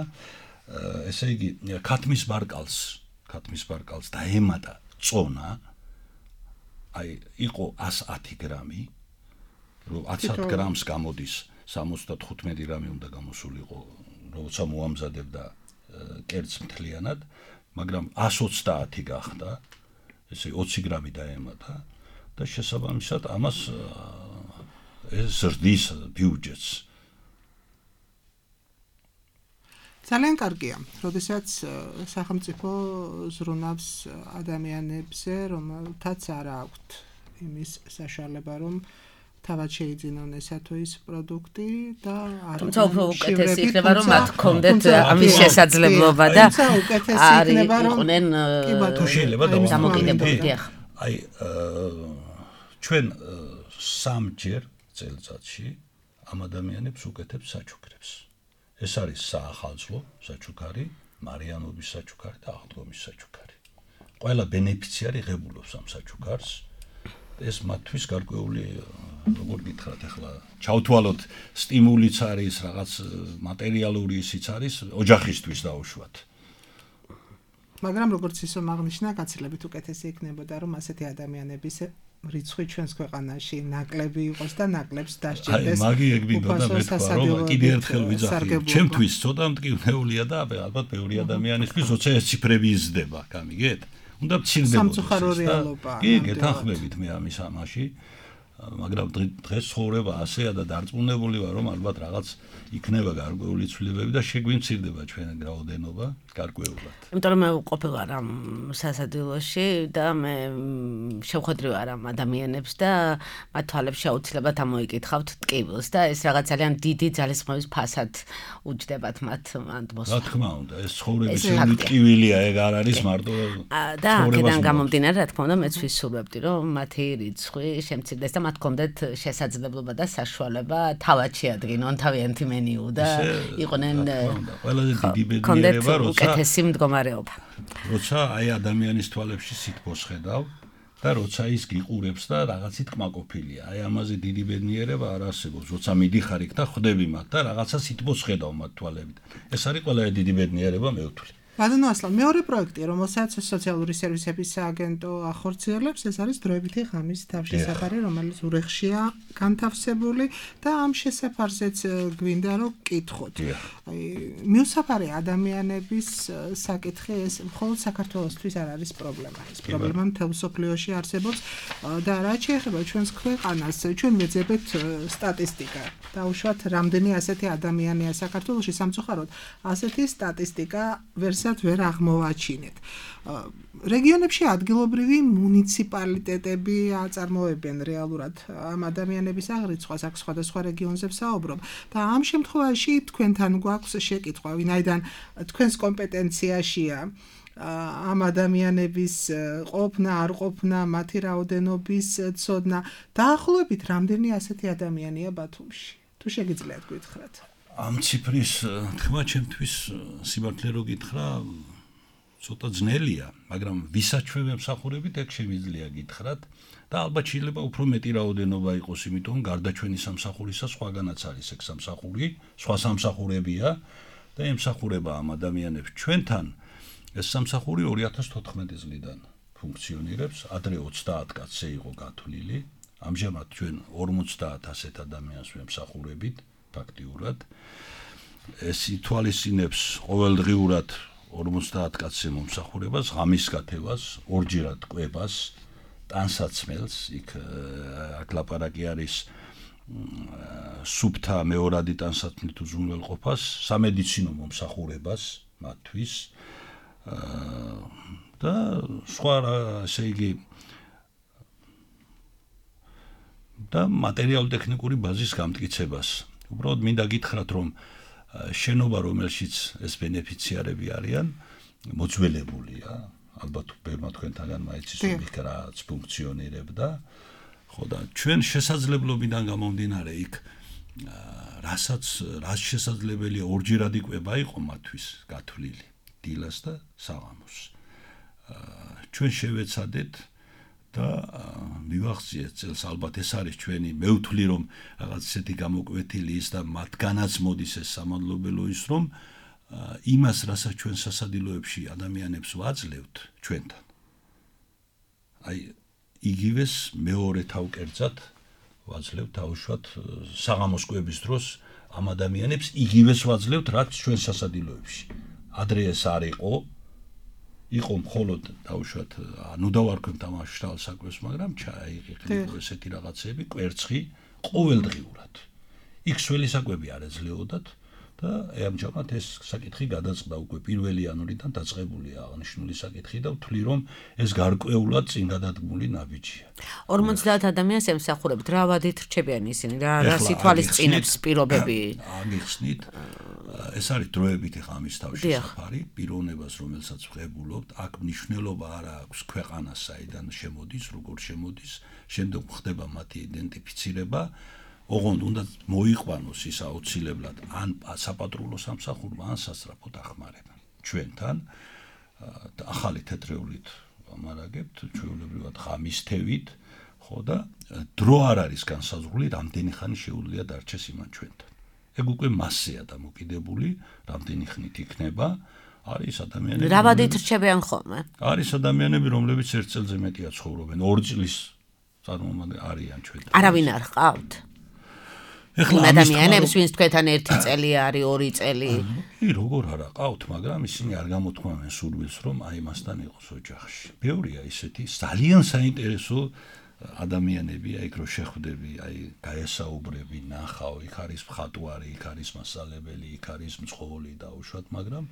ესე იგი ქათმის ბარკალს, ქათმის ბარკალს დაემატა წონა. აი იყო ას ათი გრამი. რომ ათს გრამს გამოდის სამოცდათხუთმეტი გრამი უნდა გამოსულიყო, როცა მოამზადებდა კერძს მთლიანად, მაგრამ ას ოცდაათი გახდა. ესე ოცი გრამი დაემატა და შესაბამისად ამას ეს ზრდის ბიუჯეტს. ძალიან კარგია, როდესაც სახელმწიფო ზრუნავს ადამიანებზე, რომელთაც არ აქვთ იმის საშუალება, რომ თავად შეიძინონ ესა თუ ის პროდუქტი და არ თუმცა უფრო უკეთესი იქნება რომ მათ ჰქონდეთ ამის შესაძლებლობა და არ იყვნენ თუ შეიძლება დამოკიდებული. აი ჩვენ სამჯერ წელიწადში ამ ადამიანებს უკეთებს საჩუქრებს. ეს არის საახალწლო საჩუქარი, მარიანობის საჩუქარი და აღდგომის საჩუქარი. ყველა ბენეფიციარი ღებულობს ამ საჩუქარს. ეს მათთვის გარკვეული როგორ გითხრათ ახლა ჩავთვალოთ სტიმულიც არის რაღაც მატერიალური ისიც არის ოჯახისთვის დაუშვათ. მაგრამ როგორც ისო აღნიშნა გაცილებით უკეთესი იქნებოდა რომ ასეთი ადამიანების რიცხვი ჩვენს ქვეყანაში ნაკლები იყოს და ნაკლებს დასჭირდეს. აი მაგი ეგ მინდოდა მეთქვა რომ კიდე ერთხელ ვიძახი. ჩემთვის ცოტა მტკივნეულია და ალბათ ბევრი ადამიანისთვის როცა ეს ციფრები იზრდება, გამიგეთ? უნდა მცირდებოდეს. სამწუხარო რეალობა. კი, გეთანხმებით მე ამის ამაში. მაგრამ დღეს ცხოვრება ასეა და დარწმუნებული ვარ რომ ალბათ რაღაც იქნება გარკვეული ცვლილებები და შეგვიმცირდება ჩვენ რაოდენობა გარკვეულად. იმიტომ რომ მე ყოფილი ვარ ამ სასადილოში და მე შევხვედრი ვარ ამ ადამიანებს და მათ თვალებში აუცილებლად ამოიკითხავთ ტკივილს და ეს რაღაც ძალიან დიდი ძალისხმევის ფასად უჯდებათ მათ ატმოსფეროს. რა თქმა უნდა, ეს ცხოვრების ტკივილია, ეგ არ არის მარტო და აქედან გამომდინარე, რა თქმა უნდა, მეც ვისურვებდი რომ მათი რიცხვი შემცირდეს და მათ ჰქონდეთ შესაძლებლობა და საშუალება თავად შეადგინონ თავიანთი მენიუ და იყვნენ ყველაზე დიდი ბედნიერება როცა უკეთესი მდგომარეობა. როცა აი ადამიანის თვალებში სითბოს ხედავ და როცა ის გიყურებს და რაღაცით კმაყოფილია. აი ამაზე დიდი ბედნიერება არ არსებობს. როცა მიდიხარ იქ და ხვდები მათ და რაღაცა სითბოს ხედავ მათ თვალებით. ეს არის ყველაზე დიდი ბედნიერება მე ვთვლი. ბატონო ასლან, მეორე პროექტი, რომელსაც სოციალური სერვისების სააგენტო ახორციელებს, ეს არის დროებითი ღამის თავშესაფარი, რომელიც ურეხშია განთავსებული და ამ შესაფარზეც გვინდა რომ გკითხოთ. აი, მიუსაფარი ადამიანების საკითხი ეს მხოლოდ საქართველოსთვის არ არის პრობლემა. ეს პრობლემა მთელ მსოფლიოში არსებობს და რაც შეეხება ჩვენს ქვეყანას, ჩვენ ვეძებთ სტატისტიკა. დაუშვათ, რამდენი ასეთი ადამიანია საქართველოში, სამწუხაროდ, ასეთი სტატისტიკა ვერს ვერ აღმოვაჩინეთ. რეგიონებში ადგილობრივი მუნიციპალიტეტები აწარმოებენ რეალურად ამ ადამიანების აღრიცხვას, აქ სხვადასხვა რეგიონზე ვსაუბრობ და ამ შემთხვევაში თქვენთან გვაქვს შეკითხვა, ვინაიდან თქვენს კომპეტენციაშია ამ ადამიანების ყოფნა, არ ყოფნა, მათი რაოდენობის ცოდნა, დაახლოებით რამდენი ასეთი ადამიანია ბათუმში? თუ შეგიძლიათ გითხრათ. ამ ციფრის თქმა ჩემთვის სიმართლე რო გითხრა ცოტა ძნელია, მაგრამ ვისაჩვევ მსახურებით ეგ შემიძლია გითხრათ და ალბათ შეიძლება უფრო მეტი რაოდენობა იყოს, იმიტომ გარდა ჩვენი სამსახურისა სხვაგანაც არის ეგ სამსახური, სხვა სამსახურებია და ემსახურება ამ ადამიანებს ჩვენთან. ეს სამსახური ორი ათას თოთხმეტი წლიდან ფუნქციონირებს, ადრე ოცდაათ კაცზე იყო გათვლილი, ამჟამად ჩვენ ორმოცდაათ ასეთ ადამიანს ვემსახურებით ფაქტიურად. ეს ითვალისწინებს ყოველდღიურად ორმოცდაათ კაცზე მომსახურებას, ღამის გათევას, ორჯერად კვებას, ტანსაცმელს, იქ აქ ლაპარაკი არის სუფთა მეორადი ტანსაცმლით უზრუნველყოფას, სამედიცინო მომსახურებას მათთვის და სხვა ესე იგი და მატერიალურ-ტექნიკური ბაზის გამტკიცებას. უბრალოდ მინდა გითხრათ, რომ შენობა, რომელშიც ეს ბენეფიციარები არიან, მოძველებულია, ალბათ ბევრმა თქვენთაგან მაიცის რომ იქ რაც ფუნქციონირებდა, ხო და ჩვენ შესაძლებლობიდან გამომდინარე იქ რასაც რაც შესაძლებელია ორჯერადი კვება იყო მათთვის გათვლილი, დილას და საღამოს. ჩვენ შევეცადეთ და მივახციეთ წელს ალბათ ეს არის ჩვენი მე ვთვლი რომ რაღაც ისეთი გამოკვეთილი ის და მათგანაც მოდის ეს სამადლობელო ის რომ იმას რასაც ჩვენ სასადილოებში ადამიანებს ვაძლევთ ჩვენთან აი იგივეს მეორე თავკერძად ვაძლევთ თავშოთ საღამოს კვების დროს ამ ადამიანებს იგივეს ვაძლევთ რაც ჩვენ სასადილოებში ადრე ეს არ იყო იყო მხოლოდ თავშოთ ანუ დავარქვენ თამაშშალ საკვებს მაგრამ ჩაიყიყო ესეთი რაღაცები კვერცხი ყოველდღიურად იქ სველი საკვები არ ეძლეოდათ და ამჟამად ეს საკითხი გადაწყდა უკვე პირველი იანვრიდან დაწყებულია აღნიშნული საკითხი და ვთვლი რომ ეს გარკვეულად წინ გადადგმული ნაბიჯია. ორმოცდაათ ადამიანს ემსახურებთ რა ვადით რჩებიან ისინი რა რა სიტუალისწინებს პირობები აღიხსნით ეს არის დროებით ახლა ამის თავში საფარი პიროვნებას რომელსაც ვღებულობთ აქ მნიშვნელობა არ აქვს ქვეყანას საიდან შემოდის როგორ შემოდის შემდეგ ხდება მათი იდენტიფიცირება ოღონდ უნდა მოიყვანოს ის აუცილებლად ან საპატრულო სამსახურმა ან სასწრაფო დახმარება ჩვენთან ახალი თეთრეულით ვამარაგებთ ჩვეულებრივად ღამის თევით ხო და დრო არ არის განსაზღვრული რამდენი ხანი შეუძლია დარჩეს იმან ჩვენთან ეგ უკვე მასეა დამოკიდებული რამდენი ხნით იქნება არის ადამიანები რა ვადით რჩებიან ხოლმე არის ადამიანები რომლებიც ერთ წელზე მეტია ცხოვრობენ ორი წლის წარმომადგენლები არიან ჩვენთან არავინ არ ყავთ ეხლა ადამიანებს ვინც თქვენთან ერთი წელი არის ორი წელი კი როგორ არა ყავთ მაგრამ ისინი არ გამოთქვამენ სურვილს რომ აი მასთან იყოს ოჯახში ბევრია ისეთი ძალიან საინტერესო ადამიანები აი რო შეხვდები აი გაესაუბრები ნახავ იქ არის მხატვარი იქ არის მასალებელი იქ არის მძღოლი და უშუალოდ მაგრამ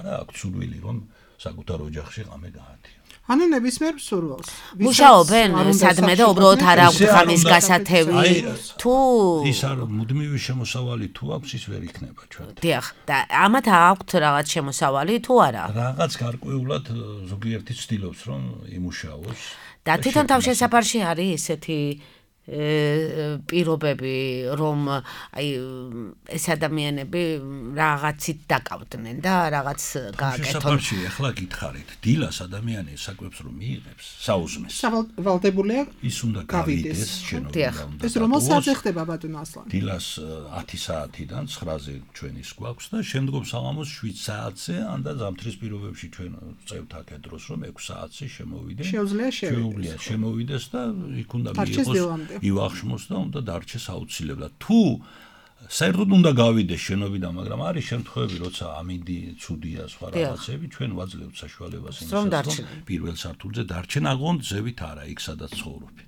არა აქვს სურვილი რომ საკუთარ ოჯახში ღამე გაათიო ანუ ნებისმიერ სურვილს მუშაობენ სადმე და უბრალოდ არ აქვს ღამის გასათევი თუ ის არ მუდმივი შემოსავალი თუ აქვს ის ვერ იქნება ჩვენ დიახ და ამათ აქვთ რაღაც შემოსავალი თუ არა რაღაც გარკვეულად ზოგიერთი ცდილობს რომ იმუშაოს და თვითონ თავშესაფარში არის ესეთი პირობები რომ აი ეს ადამიანები რაღაცით დაკავდნენ და რაღაც გააკეთონ. შესაძლოა ახლა გითხარით, დილას ადამიანი საკვებს რომ მიიღებს, საუზმეს. ვალდებულია ის უნდა გავიდეს შენობა. ეს რომ საათზე ხდება ბატონო ასლანი? დილას ათი საათიდან ცხრაზე ჩვენის გვაქვს და შემდგომ საღამოს შვიდ საათზე ან და ზამთრის პირობებში ჩვენ წევთ აქ დროს რომ ექვსი საათზე შემოვიდე. შეუძლია შევიდეს. შემოვიდეს და იქ უნდა მიიღოს ივახშმოს და უნდა დარჩეს აუცილებლად. თუ საერთოდ უნდა გავიდეს შენობიდან, მაგრამ არის შემთხვევები, როცა ამინდი ცუდია სხვა რაღაცები, ჩვენ ვაძლევთ საშუალებას იმისას, რომ პირველ სართულზე დარჩენ, აღონ ზევით არა, იქ სადაც ცხოვრობენ.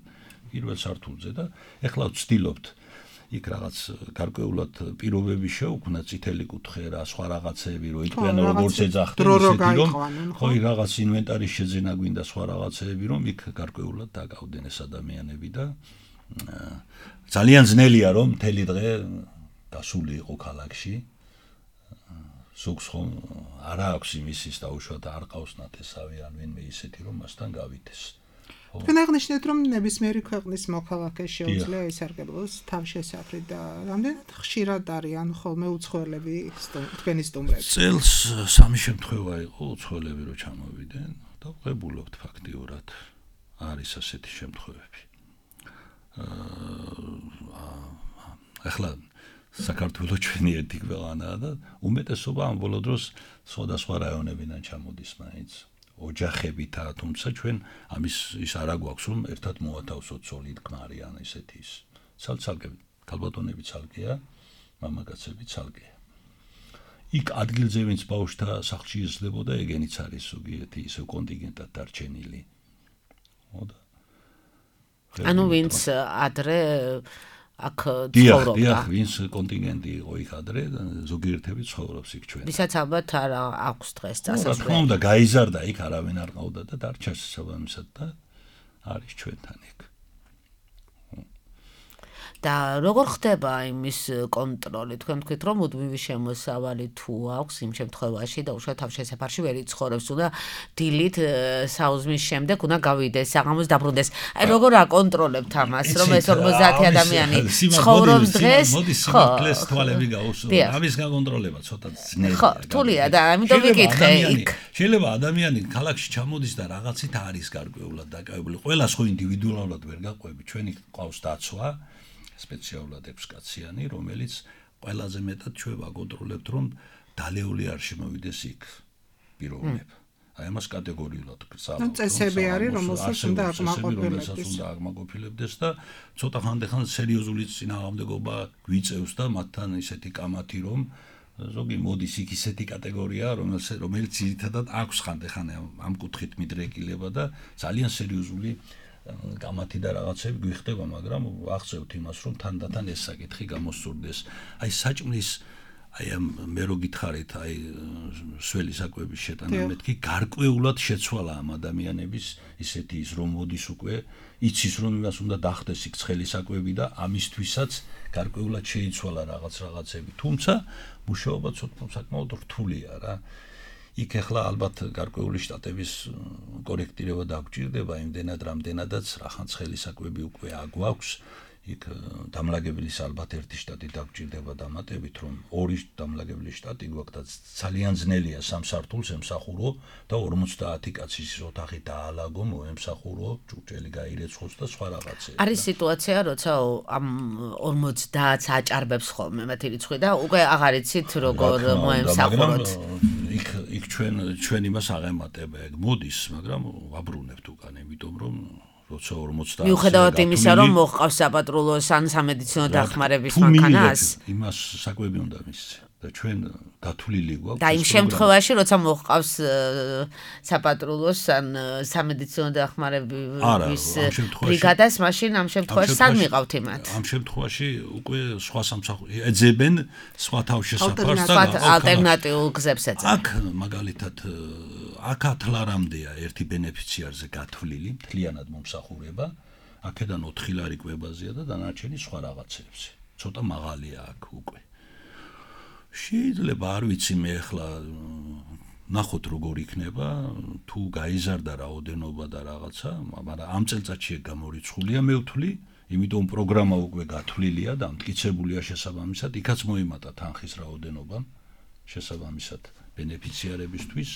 პირველ სართულზე და ეხლა ვცდილობთ იქ რაღაც გარკვეულად პირობები შეუქმნა წითელი კუთხე რა, სხვა რაღაცები, რომ იყვნენ როგორც ეძახდნენ, ისეთი რომ ხო რაღაც ინვენტარის შეძენა გვინდა სხვა რაღაცები, რომ იქ გარკვეულად დაგავდნენ ეს ადამიანები და ძალიან ძნელია რომ მთელი დღე გასული იყო ქალაქში ზოგს ხომ არ აქვს იმისის და უშუალოდ არ ყავს ნათესავი ან ვინმე ისეთი რომ მასთან გავითეს თქვენ აღნიშნეთ რომ ნებისმიერი ქვეყნის მოქალაქე შეუძლია ისარგებლოს თავშესაფრი და რამდენად ხშირად არიან ხოლმე უცხოელები თქვენი სტუმრები წელს სამი შემთხვევა იყო უცხოელები რო ჩამოვიდნენ და ვღებულობთ ფაქტიურად არის ასეთი შემთხვევები ახლა საქართველოს ჩვენი ერთი ქვეყანაა და უმეტესობა ამ ბოლო დროს სხვადასხვა რაიონებიდან ჩამოდის მაინც ოჯახებითა თუმცა ჩვენ ამის ის არა გვაქვს რომ ერთად მოვათავსოთ სოლიდ ქმარი ან ესეთი ის ცალ-ცალკე ქალბატონები ცალკეა მამაკაცები ცალკეა იქ ადგილზე ვინც ბავშვთა სახლში იზრდებოდა ეგენიც არის ზოგიერთი ისე კონტინგენტად დარჩენილი მოდა ანუ ვინც ადრე აქ ცხოვრობდა. დიახ, ვინც კონტინგენტი იყო იქ ადრე, ზოგიერთები ცხოვრობს იქ ჩვენ. ვისაც ალბათ არ აქვს დღეს წასასვლელი. რა თქმა უნდა, გაიზარდა იქ, არავინ არ ყავდა და დარჩა შესაბამისად და არის ჩვენთან იქ. და როგორ ხდება იმის კონტროლი? თქვენ თქვით რომ მუდმივი შემოსავალი თუ აქვს იმ შემთხვევაში და უშუალოდ თავშესაფარში ვერ იცხოვრებს, უნდა დილით საუზმის შემდეგ უნდა გავიდეს, საღამოს დაბრუნდეს. აი როგორ აკონტროლებთ ამას, რომ ეს ორმოცდაათი ადამიანი ცხოვრობს დღეს? ხო, კლეს თვალები გაუსწრო. ამის გაკონტროლება ცოტა ძნელია. ხო, რთულია და ამიტომ ვიკითხე იქ. შეიძლება ადამიანი ქალაქში ჩამოდის და რაღაცით არის გარკვეულად დაკავებული. ყველას ხო ინდივიდუალურად ვერ გაყვები. ჩვენი ყავს დაცვა სპეციალურად ექვსკაციანი, რომელიც ყველაზე მეტად ჩვენ ვაკონტროლებთ, რომ დალეული არ შემოვიდეს იქ პიროვნება. აი ამას კატეგორიულად გწავთ. წესები არის, რომელსაც უნდა აკმაყოფილებდეს. უნდა აკმაყოფილებდეს და ცოტა ხანდახან სერიოზული წინააღმდეგობა გვიწევს და მათთან ისეთი კამათი, რომ ზოგი მოდის იქ ისეთი კატეგორია, რომელიც რომელიც ძირითადად აქვს ხანდახან ამ კუთხით მიდრეკილება და ძალიან სერიოზული კამათი და რაღაცები გვიხდება, მაგრამ ვახცევთ იმას, რომ თანდათან ეს საკითხი გამოსწორდეს. აი საჭმლის აი ამ მე რო გითხარით, აი სველი საკვების შეტანა მეთქი გარკვეულად შეცვალა ამ ადამიანების ისეთი ის რომ მოდის უკვე იცის რომ იმას უნდა დახდეს იქ ცხელი საკვები და ამისთვისაც გარკვეულად შეიცვალა რაღაც რაღაცები. თუმცა მუშაობა ცოტა საკმაოდ რთულია რა. იქ ახლა ალბათ გარკვეული შტატების კორექტირება დაგჭირდება იმდენად რამდენადაც რახან ცხელი საკვები უკვე აგვაქვს. იქ დამლაგებლის ალბათ ერთი შტატი დაგჭირდება დამატებით, რომ ორი დამლაგებლის შტატი გვაქვს და ძალიან ძნელია სამ სართულს ემსახურო და ორმოცდაათი კაცის ოთახი დაალაგო, მოემსახურო, ჭურჭელი გაირეცხოს და სხვა რაღაცები. არის სიტუაცია, როცა ამ ორმოცდაათს აჭარბებს ხოლმე მათი რიცხვი და უკვე აღარ იცით როგორ მოემსახუროთ. იქ იქ ჩვენ ჩვენ იმას აღემატება, ეგ მოდის, მაგრამ ვაბრუნებთ უკან, იმიტომ რომ როცა ორმოცდაათი მიუხედავად იმისა, რომ მოჰყავს საპატრულოს ან სამედიცინო დახმარების მანქანას, იმას საკვები უნდა მისცე და ჩვენ გათვლილი გვაქვს. და იმ შემთხვევაში, როცა მოჰყავს საპატრულოს ან სამედიცინო დახმარების ბრიგადას, მაშინ ამ შემთხვევაში სად მიყავთ იმათ? ამ შემთხვევაში უკვე სხვა სამსახური ეძებენ სხვა თავშესაფარს და ალტერნატიულ გზებს ეძებენ. აქ მაგალითად აქ ათლარამდეა ერთი ბენეფიციარზე გათვლილი, მთლიანად მომსახურება, აქედან ოთხი ლარი კვებაზეა და დანარჩენი სხვა რაღაცებზე. ცოტა მაღალია აქ უკვე. შეიძლება არ ვიცი მე ახლა ნახოთ როგორ იქნება, თუ გაიზარდა რაოდენობა და რაღაცა, მაგრამ ამ წელწადში გამორიცხულია მე ვთვლი, იმიტომ პროგრამა უკვე გათვლილია და მტკიცებულია შესაბამისად, იქაც მოიმატა თანხის რაოდენობა შესაბამისად ბენეფიციარებისთვის.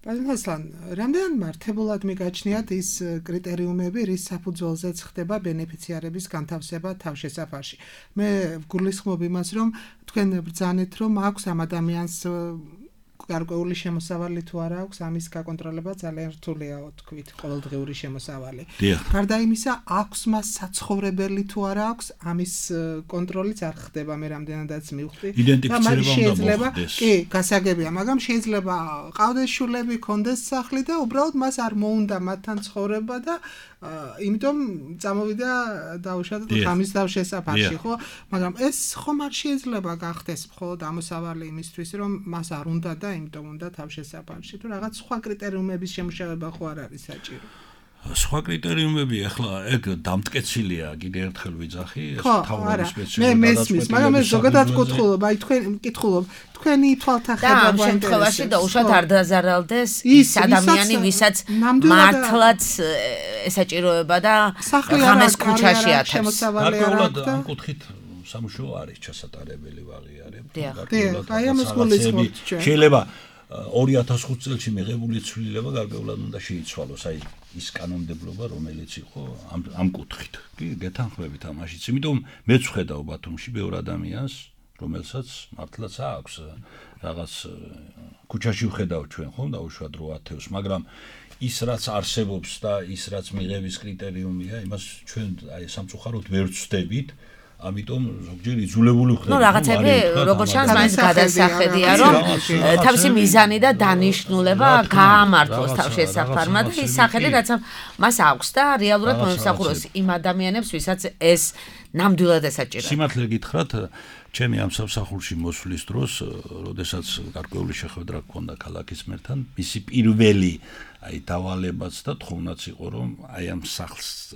Პაზმასლან, რამდენ მართებულად მიგაჩნიათ ის კრიტერიუმები, რის საფუძველზეც ხდება ბენეფიციარების განთავსება თავშესაფარში. მე ვგულისხმობ იმას, რომ თქვენ ბრძანეთ, რომ აქვს ამ ადამიანს გარკვეული შემოსავალი თუ არა აქვს, ამის გაკონტროლება ძალიან რთულია, თქვით, ყოველდღიური შემოსავალი. გარდა იმისა, აქვს მას საცხოვრებელი თუ არა აქვს, ამის კონტროლიც არ ხდება, მე რამდენადაც მივხვდი. იდენტიფიცირება უნდა მოხდეს. კი, გასაგებია, მაგრამ შეიძლება ყავდეს შულები, კონდეს სახლი და უბრალოდ მას არ მოუნდა მათთან ცხოვრება და იმიტომ წამოვიდა დაუშვათ ღამის თავშესაფარში, ხო? მაგრამ ეს ხომ არ შეიძლება გახდეს მხოლოდ ამოსავალი იმისთვის, რომ მას არ უნდა და იმიტომ უნდა თავშესაფარში, თუ რაღაც სხვა კრიტერიუმების შემუშავება ხო არ არის საჭირო. სხვა კრიტერიუმები ახლა ეგ დამტკეცილია, კიდე ერთხელ ვიძახი, ეს თავრობის სპეციალისტი. მე მესმის, მაგრამ ეს ზოგადად კითხულობ, აი თქვენ კითხულობ, თქვენი თვალთახედა ამ შემთხვევაში და უშოთ არ დაზარალდეს ის ადამიანი, ვისაც მართლაც ესაჭიროება და ღამეს ქუჩაში ათებს. გარკვეულად ამ კუთხით სამუშაო არის ჩასატარებელი ვაღიარებ. გარკვეულად აი ამას გულისხმობთ ჩვენ. შეიძლება ორი ათას ხუთი წელში მიღებული ცვლილება გარკვეულად უნდა შეიცვალოს, აი ის კანონმდებლობა, რომელიც იყო ამ ამ კუთხით. კი, გეთანხმებით ამაშიც. იმიტომ მეც ვხედავ ბათუმში ბევრ ადამიანს, რომელსაც მართლაც აქვს რაღაც ქუჩაში ვხედავ ჩვენ ხომ დაუშვათ რო ათევს, მაგრამ ის რაც არსებობს და ის რაც მიღების კრიტერიუმია, იმას ჩვენ აი სამწუხაროდ ვერ ვცდებით. ამიტომ ზოგჯერ იძულებული ხდება. ნუ რაღაცები როგორც ჩანს მაინც გადასახედია, რომ თავისი მიზანი და დანიშნულება გაამართლოს თავშესაფარმა და ის სახელი რაც მას აქვს და რეალურად მომსახუროს იმ ადამიანებს, ვისაც ეს ნამდვილად ესაჭიროება. სიმართლე გითხრათ, ჩემი ამ სამსახურში მოსვლის დროს, როდესაც გარკვეული შეხვედრა გქონდა ქალაქის მერთან, მისი პირველი აი დავალებაც და თხოვნაც იყო, რომ აი ამ სახლს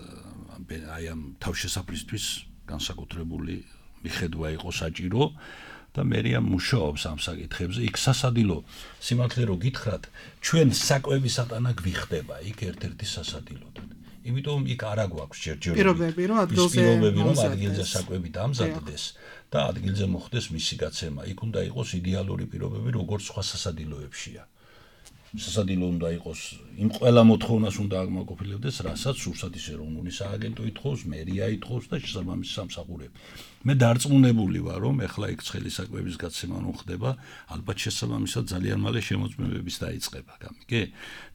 აი ამ თავშესაფრისთვის განსაკუთრებული მიხედვა იყო საჭირო და მერია მუშაობს ამ საკითხებზე. იქ სასადილო სიმართლე რო გითხრათ, ჩვენ საკვების ატანა გვიხდება იქ ერთ-ერთი სასადილოდან. იმიტომ იქ არა გვაქვს ჯერჯერობით პირობები, რომ ადგილზე პირობები, რომ ადგილზე საკვები დამზადდეს და ადგილზე მოხდეს მისი გაცემა. იქ უნდა იყოს იდეალური პირობები, როგორც სხვა სასადილოებშია. სასადილო უნდა იყოს, იმ ყველა მოთხოვნას უნდა აკმაყოფილებდეს, რასაც სურსათის ეროვნული სააგენტო ითხოვს, მერია ითხოვს და შესაბამისი სამსახურები. მე დარწმუნებული ვარ, რომ ეხლა იქ ცხელი საკვების გაცემა რომ ხდება, ალბათ შესაბამისად ძალიან მალე შემოწმებების დაიწყება, გამიგე?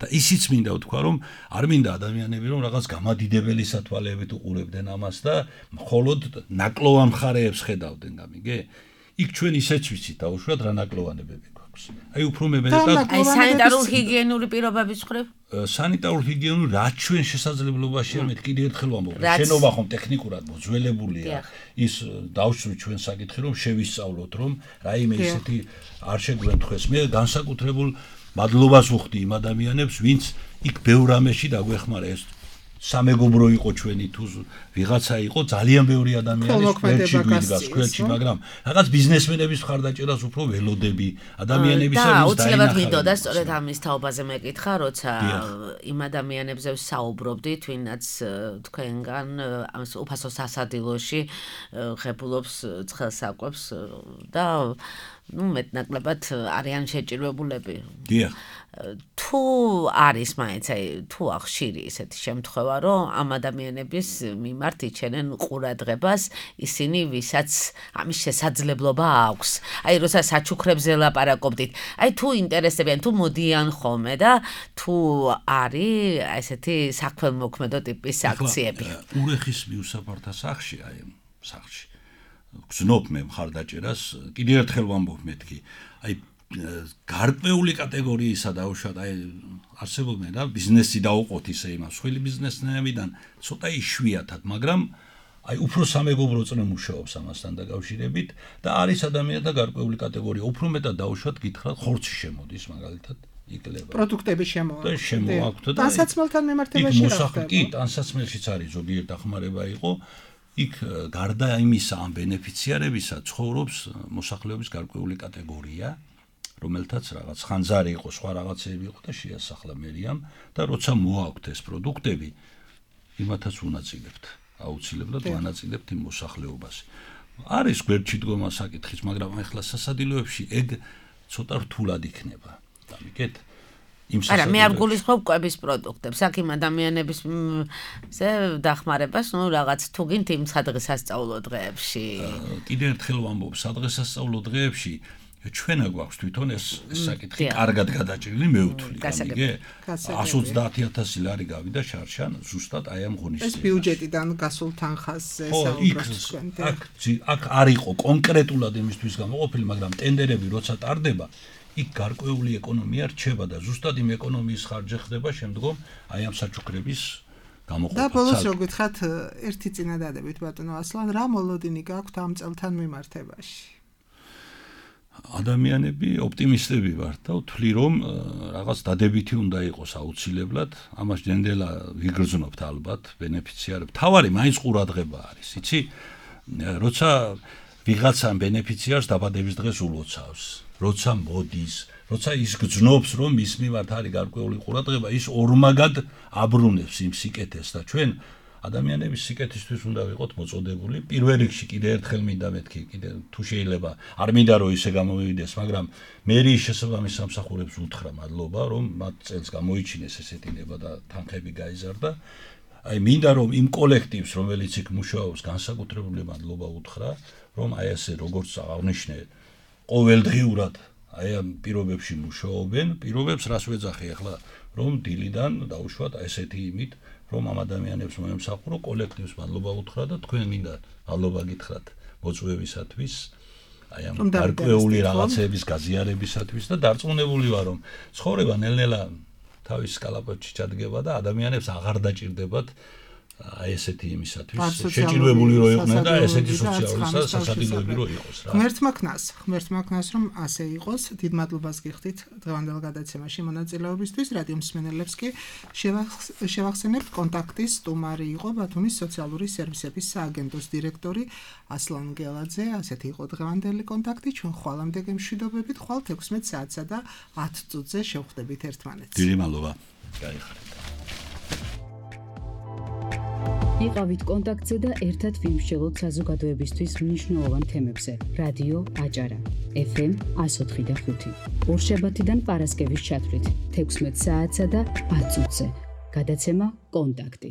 და ისიც მინდა ვთქვა, რომ არ მინდა ადამიანები რომ რაღაც გამადიდებელი სათვალეებით უყურებდნენ ამას და მხოლოდ ნაკლოვან მხარეებს ხედავდნენ, გამიგე? იქ ჩვენ ისეც ვიცით, დაუშვათ რა ნაკლოვანებები გვაქვს. აი უფრო მეტად აი სანიტარულ ჰიგიენური პირობების მხრივ სანიტარულ ჰიგიენური რაც ჩვენ შესაძლებლობაშია მე კიდევ ერთხელ ვამბობ შენობა ხომ ტექნიკურად მოძველებულია ის დავშვით ჩვენ საკითხი რომ შევისწავლოთ რომ რაიმე ისეთი არ შეგვენთხეს მე განსაკუთრებულ მადლობას ვუხდი იმ ადამიანებს ვინც იქ ბევრ რამეში დაგვეხმარა ეს სამეგობრო იყო ჩვენი თუ ვიღაცა იყო ძალიან ბევრი ადამიანი სკვერჩი გვიდგას სკვერჩი მაგრამ რაღაც ბიზნესმენების მხარდაჭერას უფრო ველოდები ადამიანებისა და აუცილებლად მინდოდა სწორედ ამის თაობაზე მეკითხა როცა იმ ადამიანებზე ვსაუბრობდით ვინაც თქვენგან ამ უფასო სასადილოში ღებულობს ცხელსაკვებს და ну მეტნაკლებად არიან შეჭირვებულები. დიახ. თუ არის მაინც აი თუ ახშირი ესეთი შემთხვევა, რომ ამ ადამიანების მიმართ იჩენენ ყურადღებას ისინი, ვისაც ამის შესაძლებლობა აქვს. აი როცა საჩუქრებზე ლაპარაკობდით, აი თუ ინტერესებიან, თუ მოდიან ხოლმე და თუ არის ესეთი საქველმოქმედო ტიპის აქციები. ურეხის მიუსაფართა სახლში, აი სახლში გზნობ მე მხარდაჭერას კიდევ ერთხელ ვამბობ მეთქი აი გარკვეული კატეგორიისა დაუშვათ აი არსებობენ რა ბიზნესი დაუყოთ ისე იმას სხვილი ბიზნესმენებიდან ცოტა იშვიათად მაგრამ აი უფრო სამეგობრო წრე მუშაობს ამასთან დაკავშირებით და არის ადამიანთა გარკვეული კატეგორია უფრო მეტად დაუშვათ გითხრათ ხორცი შემოდის მაგალითად იკლება პროდუქტები შემოაქვთ და შემოაქვთ და ტანსაცმელთან მიმართებაში რა ხდება კი ტანსაცმელშიც არის ზოგიერთ დახმარება იყო იქ გარდა იმისა ამ ბენეფიციარებისა ცხოვრობს მოსახლეობის გარკვეული კატეგორია რომელთაც რაღაც ხანძარი იყო სხვა რაღაცები იყო და შეასახლა მერიამ და როცა მოაქვთ ეს პროდუქტები იმათაც უნაწილებთ აუცილებლად ვანაწილებთ იმ მოსახლეობას არის გვერდში დგომა საკითხის მაგრამ ახლა სასადილოებში ეგ ცოტა რთულად იქნება დამიგეთ არა მე არ გულისხმობ კვების პროდუქტებს აქ იმ ადამიანების ზე დახმარებას ნუ რაღაც თუ გინთ იმ სადღესასწაულო დღეებში კიდევ ერთხელ ვამბობ სადღესასწაულო დღეებში ჩვენა გვაქვს თვითონ ეს საკითხი კარგად გადაჭრილი მე ვთვლი გამიგე εκατს ოცდაათი ათასი ლარი გავიდა შარშან ზუსტად აი ამ ღონისძიებას ეს ბიუჯეტიდან გასულ თანხაზე საუბრობთ თქვენ აქ აქ არ იყო კონკრეტულად იმისთვის გამოყოფილი მაგრამ ტენდერები როცა ტარდება იქ გარკვეული ეკონომია რჩება და ზუსტად იმ ეკონომიის ხარჯი ხდება შემდგომ აი ამ საჩუქრების გამოყოფა. და ბოლოს რო გითხრათ ერთი წინადადებით ბატონო ასლან რა მოლოდინი გაქვთ ამ წელთან მიმართებაში? ადამიანები ოპტიმისტები ვართ და ვთვლი რომ რაღაც დადებითი უნდა იყოს აუცილებლად ამას ჯენდელა ვიგრძნობთ ალბათ ბენეფიციარებს თავარი მაინც ყურადღება არის იცი როცა ვიღაცა ბენეფიციარს დაბადების დღეს ულოცავს როცა მოდის, როცა ის გძნობს, რომ მის მიმართ არის გარკვეული ყურადღება, ის ორმაგად აბრუნებს იმ სიკეთეს და ჩვენ ადამიანების სიკეთისთვის უნდა ვიყოთ მოწოდებული. პირველ რიგში კიდევ ერთხელ მინდა მეთქი, კიდევ თუ შეიძლება, არ მინდა რომ ისე გამოვიდეს, მაგრამ მერიის შესაბამის სამსახურებს უთხრა მადლობა, რომ მათ წელს გამოიჩინეს ესეთი ნება და თანხები გაიზარდა. აი მინდა რომ იმ კოლექტივს, რომელიც იქ მუშაობს, განსაკუთრებული მადლობა უთხრა, რომ აი ასე როგორც აღნიშნე ყოველდღიურად აი ამ პირობებში მუშაობენ, პირობებს რას ვეძახი ახლა, რომ დილიდან დაუშვათ ესეთი იმით, რომ ამ ადამიანებს მოემსახურო კოლექტივს მადლობა უთხრა და თქვენ მინდა მადლობა გითხრათ მოწვევისათვის, აი ამ გარკვეული რაღაცების გაზიარებისათვის და დარწმუნებული ვარ, რომ ცხოვრება ნელ-ნელა თავის კალაპოტში ჩადგება და ადამიანებს აღარ დაჭირდებათ აი ესეთი იმისათვის შეჭირვებული რო იყვნენ და ესეთი სოციალური სასადილოები რო იყოს რა. ღმერთმა ქნას, ღმერთმა ქნას რომ ასე იყოს. დიდ მადლობას გიხდით დღევანდელ გადაცემაში მონაწილეობისთვის. რადიო მსმენელებს კი შევახსენებთ კონტაქტის სტუმარი იყო ბათუმის სოციალური სერვისების სააგენტოს დირექტორი ასლან გელაძე. ასეთი იყო დღევანდელი კონტაქტი. ჩვენ ხვალამდე გემშვიდობებით, ხვალ ექვსმეტ საათსა და ათ წუთზე შევხვდებით ერთმანეთს. დიდი მადლობა. გაიხარეთ. იყავით კონტაქტზე და ერთად ვიმსჯელოთ საზოგადოებისთვის მნიშვნელოვან თემებზე. რადიო აჭარა ეფ ემ εκατო ოთხი და ხუთი. ორშაბათიდან პარასკევის ჩათვლით, ექვსმეტ საათსა და ათ წუთზე. გადაცემა კონტაქტი.